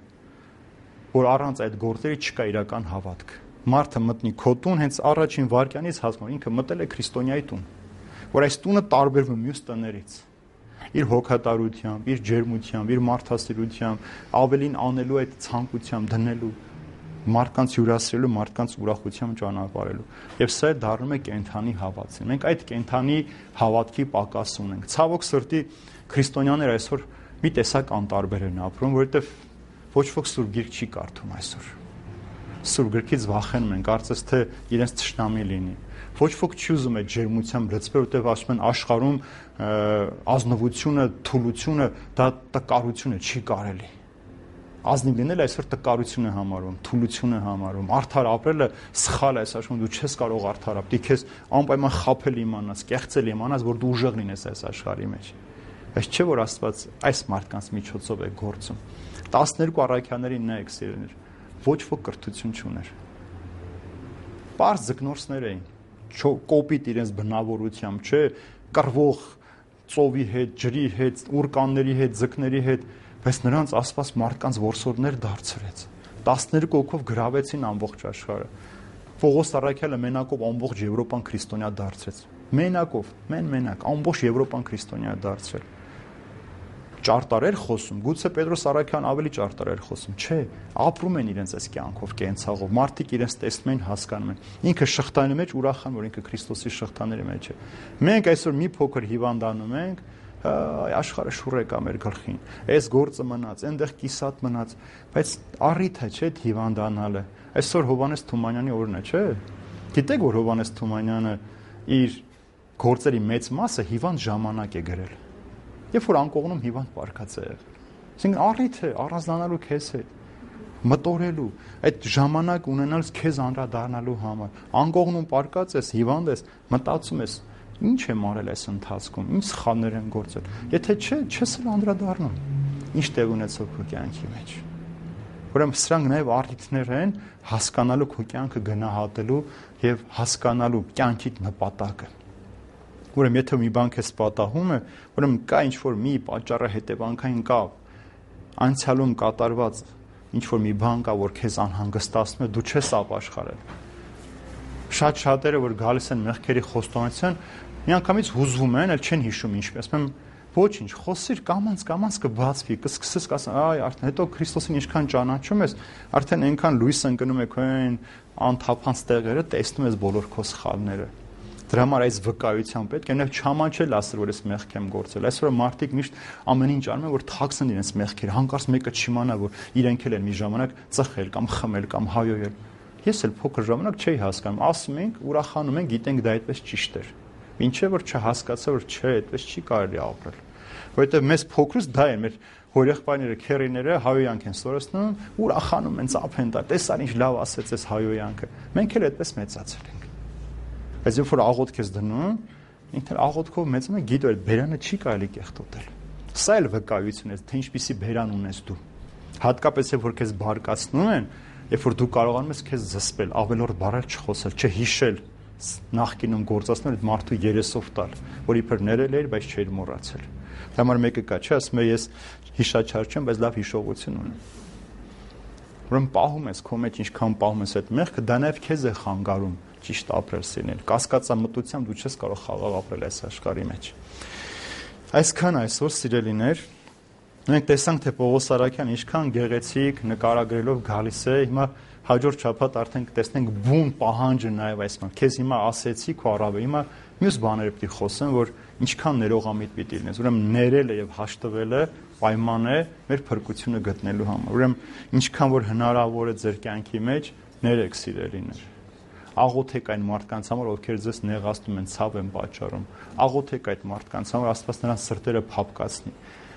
որ առանց այդ գործերի չկա իրական հավատք։ Մարդը մտնի քո տուն հենց առաջին վայրկյանից հասկանում, ինքը մտել է քրիստոնյայի տուն, որ այս տունը տարբերվում է մյուս տներից։ Իր հոգատարությամբ, իր ջերմությամբ, իր մարդասիրությամբ, ավելին անելու այդ ցանկությամբ դնելու, մարդկանց հյուրասիրելու, մարդկանց ուրախությամբ ճանապարհելու։ Եվ սա դառնում է կենթանի հավատին։ Մենք այդ կենթանի հավատքի պակաս ունենք։ Ցավոք սրտի քրիստոնյաները այսօր մի տեսակ անտարբեր են ապրում, որովհետև ոչ ոք Սուրբ Գիրք չի կարդում այսօր։ Սուրբ Գրքից վախենում են, կարծես թե իրենց թշնամի լինի։ Ոչ ոք չի ուզում այդ ջերմությամբ լծվել, որտեղ ասում են աշխարհում ազնվությունը, թուլությունը դա տկարություն է, չի կարելի։ Ազնիվ լինելը այսօր տկարություն է համարվում, թուլություն է համարվում, արդար ապրելը սխալ է, ասում դու չես կարող արդար ապրել, քեզ անպայման խաբել իմանաս, կեղծել իմանաս, որ դու ուժեղ լինես այս աշխարհի մեջ։ Բայց չէ որ Աստված այս մարդկանց միջոցով է գործում։ 12 առաքյալներին նայեք սիրելիներ, ոչ ոք կրթություն չուներ։ Պարզ ձկնորսներ էին, կոպիտ իրենց բնավորությամբ, չէ, կռվող ծովի հետ, ջրի հետ, ուրկանների հետ, ձկների հետ, բայց նրանց Աստված մարդկանց որսորդներ դարձրեց։ 12 հոգով գրավեցին ամբողջ աշխարհը։ Պողոս առաքյալը մենակով ամբողջ Եվրոպան քրիստոնյա դարձրեց։ Մենակով, մենակ, ամբողջ Եվրոպան քրիստոնյա դարձրել։ Ճարտար էր խոսում, գուցե Պետրոս առաքյալն ավելի ճարտար էր խոսում, չէ, ապրում են իրենց այս կյանքով, կենցաղով, մարդիկ իրենց տեսնում են, հասկանում են։ Ինքը շղթանի մեջ ուրախան, որ ինքը Քրիստոսի շղթաների մեջ է։ Մենք այսօր մի փոքր հիվանդանում ենք, աշխարհը շուռ եկա մեր գլխին։ Այս գործը մնաց, այնտեղ կիսատ մնաց, բայց առիթ է, չէ, հիվանդանալը։ Այսօր Հովհաննես Թումանյանի օրն է, չէ։ Գիտեք, որ Հովհաննես Թումանյանը իր գործերի մեծ մասը հիվանդ ժամանակ է գրել։ Երբ որ անկողնում հիվանդ պարկած է եղել։ Այսինքն առիթ է առանձնանալու քեզ հետ, մտորելու, այդ ժամանակ ունենալս քեզ անդրադառնալու համար։ Անկողնում պարկած ես, հիվանդ ես, մտածում ես, ինչ եմ արել այս ընթացքում, ինչ սխալներ եմ գործել։ Եթե չէ, չես էլ անդրադառնում։ Ինչ տեղ ունեցող քո կյանքի մեջ։ Ուրեմն սրանք նաև առիթներ են հասկանալու քո կյանքը գնահատելու եւ հասկանալու կյանքի նպատակը։ Ուրեմն եթե մի բան քեզ պատահում է, ուրեմն կա ինչ-որ մի պատճառը հետևանքային կա, անցյալում կատարված ինչ-որ մի բան կա, որ քեզ անհանգստացնում է, դու չես ապաշխարել։ Շատ շատերը, որ գալիս են մեղքերի խոստովանության, միանգամից հուզվում են, էլ չեն հիշում ինչպես։ Ասում եմ, ոչինչ, խոսիր, կամած կբացվի, կսկսես կասեն, այ արդեն հետո Քրիստոսին ինչքան ճանաչում ես, արդեն այնքան լույս ընկնում է քո այն անթափանց տեղերը, տեսնում ես բոլոր քո սխալները։ Դրա համար այս վկայության պետք է նաև չամաչել ասել, որ ես մեղք եմ գործել։ Այսօր մարդիկ միշտ ամեն ինչ անում են, որ թաքցնեն իրենց մեղքերը, հանկարծ մեկը չիմանա, որ իրենք էլ են մի ժամանակ ծխել կամ խմել կամ հայոյել։ Ես էլ փոքր ժամանակ չէի հասկանում, ասում ենք, ուրախանում ենք, գիտենք դա այդպես ճիշտ էր։ Ինչե որ չհասկացա, որ չէ, այդպես չի կարելի ապրել։ Որովհետև մեզ փոքրուց դա է մեր հորեղբայրները, քերիները հայոյանք են սորացնում, ուրախանում են, ծափեն դա, տեսար ինչ լավ ասեց այս հայոյանքը։ Մենք էլ այդպես մեծացել ենք։ Բայց երբ որ աղոթք ես դնում, ինքն աղոթքով մեծանում է, գիտու այդ բերանը չի կարելի կեղտոտել։ Սա էլ վկայություն է, թե ինչպիսի բերան ունես դու։ Հատկապես երբ որ քեզ բարկացնում են, երբ որ դու կարողանում ես քեզ զսպել, ավելորդ բառեր չխոսել, չհիշել, նախկինում գործածել այդ մարդու երեսով տալ, որ իբր ներել էր, բայց չէր մոռացել։ Դա համար մեկը կա, չէ, ասում է ես հիշաչար չեմ, բայց լավ հիշողություն ունեմ։ Ուրեմն պահում ես քո մեջ, ինչքան պահում ես այդ մեղքը, դա նաև քեզ է խանգարում ճիշտ ապրել սիրել։ Կասկածամտությամբ դու չես կարող խաղաղ ապրել այս աշխարհի մեջ։ Այսքան այսօր սիրելիներ, մենք տեսանք, թե Պողոս Արաքյանը ինչքան գեղեցիկ նկարագրելով գալիս է, հիմա հաջորդ շաբաթ արդեն կտեսնենք բուն պահանջը նաև այս բան։ Քեզ հիմա ասեցի քո առավը, հիմա մյուս բաները պիտի խոսեմ, որ ինչքան ներողամիտ պիտի լինես։ Ուրեմն ներելը եւ հաշտվելը պայման է մեր փրկությունը գտնելու համար։ Ուրեմն ինչքան որ հնարավոր է ձեր կյանքի մեջ ներեք սիրելիներ։ Աղոթեք այն մարդկանց համար, ովքեր ձեզ նեղացնում են, ցավ են պատճառում։ Աղոթեք այդ մարդկանց համար, Աստված նրանց սրտերը փափկացնի։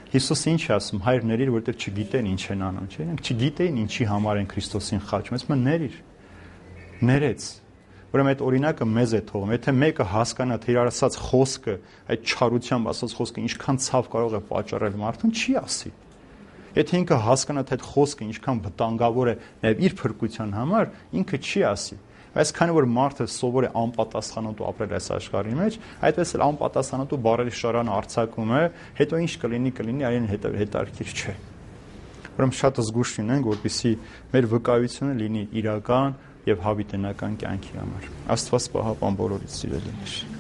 Հիսուսը ինչ է ասում, հայր ների, որովհետև չգիտեն ինչ են անում, չէ՞։ Նրանք չգիտեին ինչի համար են Քրիստոսին խաչում, ասում են ների։ Ներեց։ Ուրեմն այդ օրինակը մեզ է թողում։ Եթե մեկը հասկանա, թե իր ասած խոսքը, այդ չարությամբ ասած խոսքը ինչքան ցավ կարող է պատճառել մարդուն, չի ասի։ Եթե ինքը հասկանա, թե այդ խոսքը ինչքան վտանգավոր է նաև իր փրկության համար, ինքը չի ասի։ Բայց քանի որ մարդը սովոր է անպատասխանատու ապրել այս աշխարհի մեջ, այդպես էլ անպատասխանատու բառերի շարանը արձակում է, հետո ինչ կլինի, արին հետարքիր չէ։ Ուրեմն շատ զգուշ լինենք, որպեսզի մեր վկայությունը լինի իրական եւ հավիտենական կյանքի համար։ Աստված պահապան բոլորից սիրելիներ։